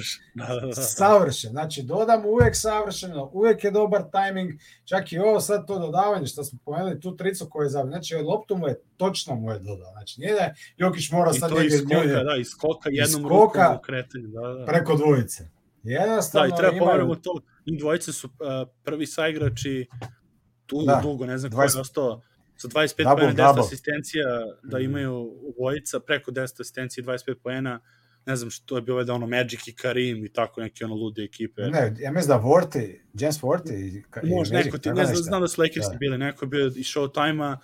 Savršen. Znači, dodam uvijek savršeno, uvijek je dobar tajming, čak i ovo sad to dodavanje, što smo pomenuli, tu tricu koju je zabio. Znači, loptu mu je točno dodao. Znači, nije da Jokić mora sad njega izljulje. Da, iz skoka jednom rukom u kretanju. Da. Preko dvojice. Jednostavno, da, i treba pomeramo to. I dvojice su prvi saigrači dugo, ne znam ko je ostao. Sa 25 pojena, 10 asistencija, da imaju obojica, preko 10 asistencija i 25 pojena, ne znam što je bilo da ono Magic i Karim i tako neke ono lude ekipe. Ne, ja mislim da Vorti, James Vorti i možda neko, ne znam da su Lakersi bili, neko je bio iz Showtime-a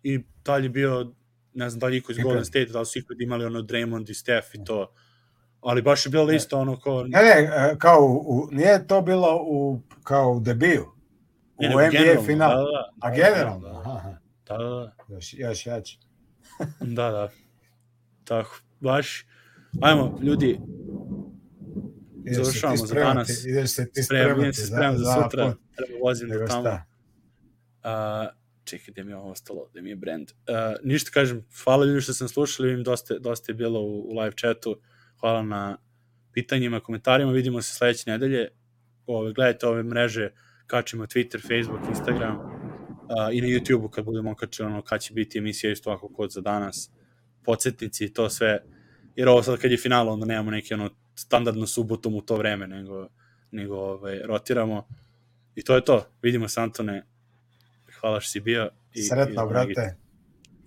i dalje bio, ne znam da li iko iz Golden State, da li su ikad imali ono Draymond i Steph i to, ali baš je bilo isto ono ko... Ne, kao nije to bilo kao u debiju, u NBA finalu, a generalno, aha. Da. Još jače. Da. Tako, baš. Ajmo, ljudi, završavamo za danas. Ideš se ti spremati. Spremam za sutra. Treba vozim do tamo. Čekaj, gde mi je ovo ostalo, gde mi je brand. Ništa kažem, hvala ljudi što sam slušali, vidim dosta je bilo u live chatu. Hvala na pitanjima, komentarima. Vidimo se sledeće nedelje. Gledajte ove mreže, kačimo Twitter, Facebook, Instagram. I na YouTube-u kad budemo okačili kad će biti emisija isto ovako kod za danas, podsjetnici i to sve, jer ovo sad kad je final onda nemamo neki standardno subotom u to vreme, nego rotiramo i to je to. Vidimo se, Antone, hvala što si bio. Sretno, brate.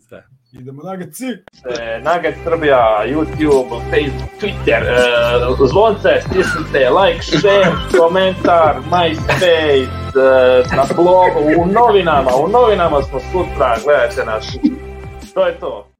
Sve. Idemo Nuggets. Nuggets Srbija, YouTube, Facebook, Twitter, zvonce, stisnite, like, share, komentar, MySpace, na blogu, u novinama smo sutra, gledajte nas. To je to.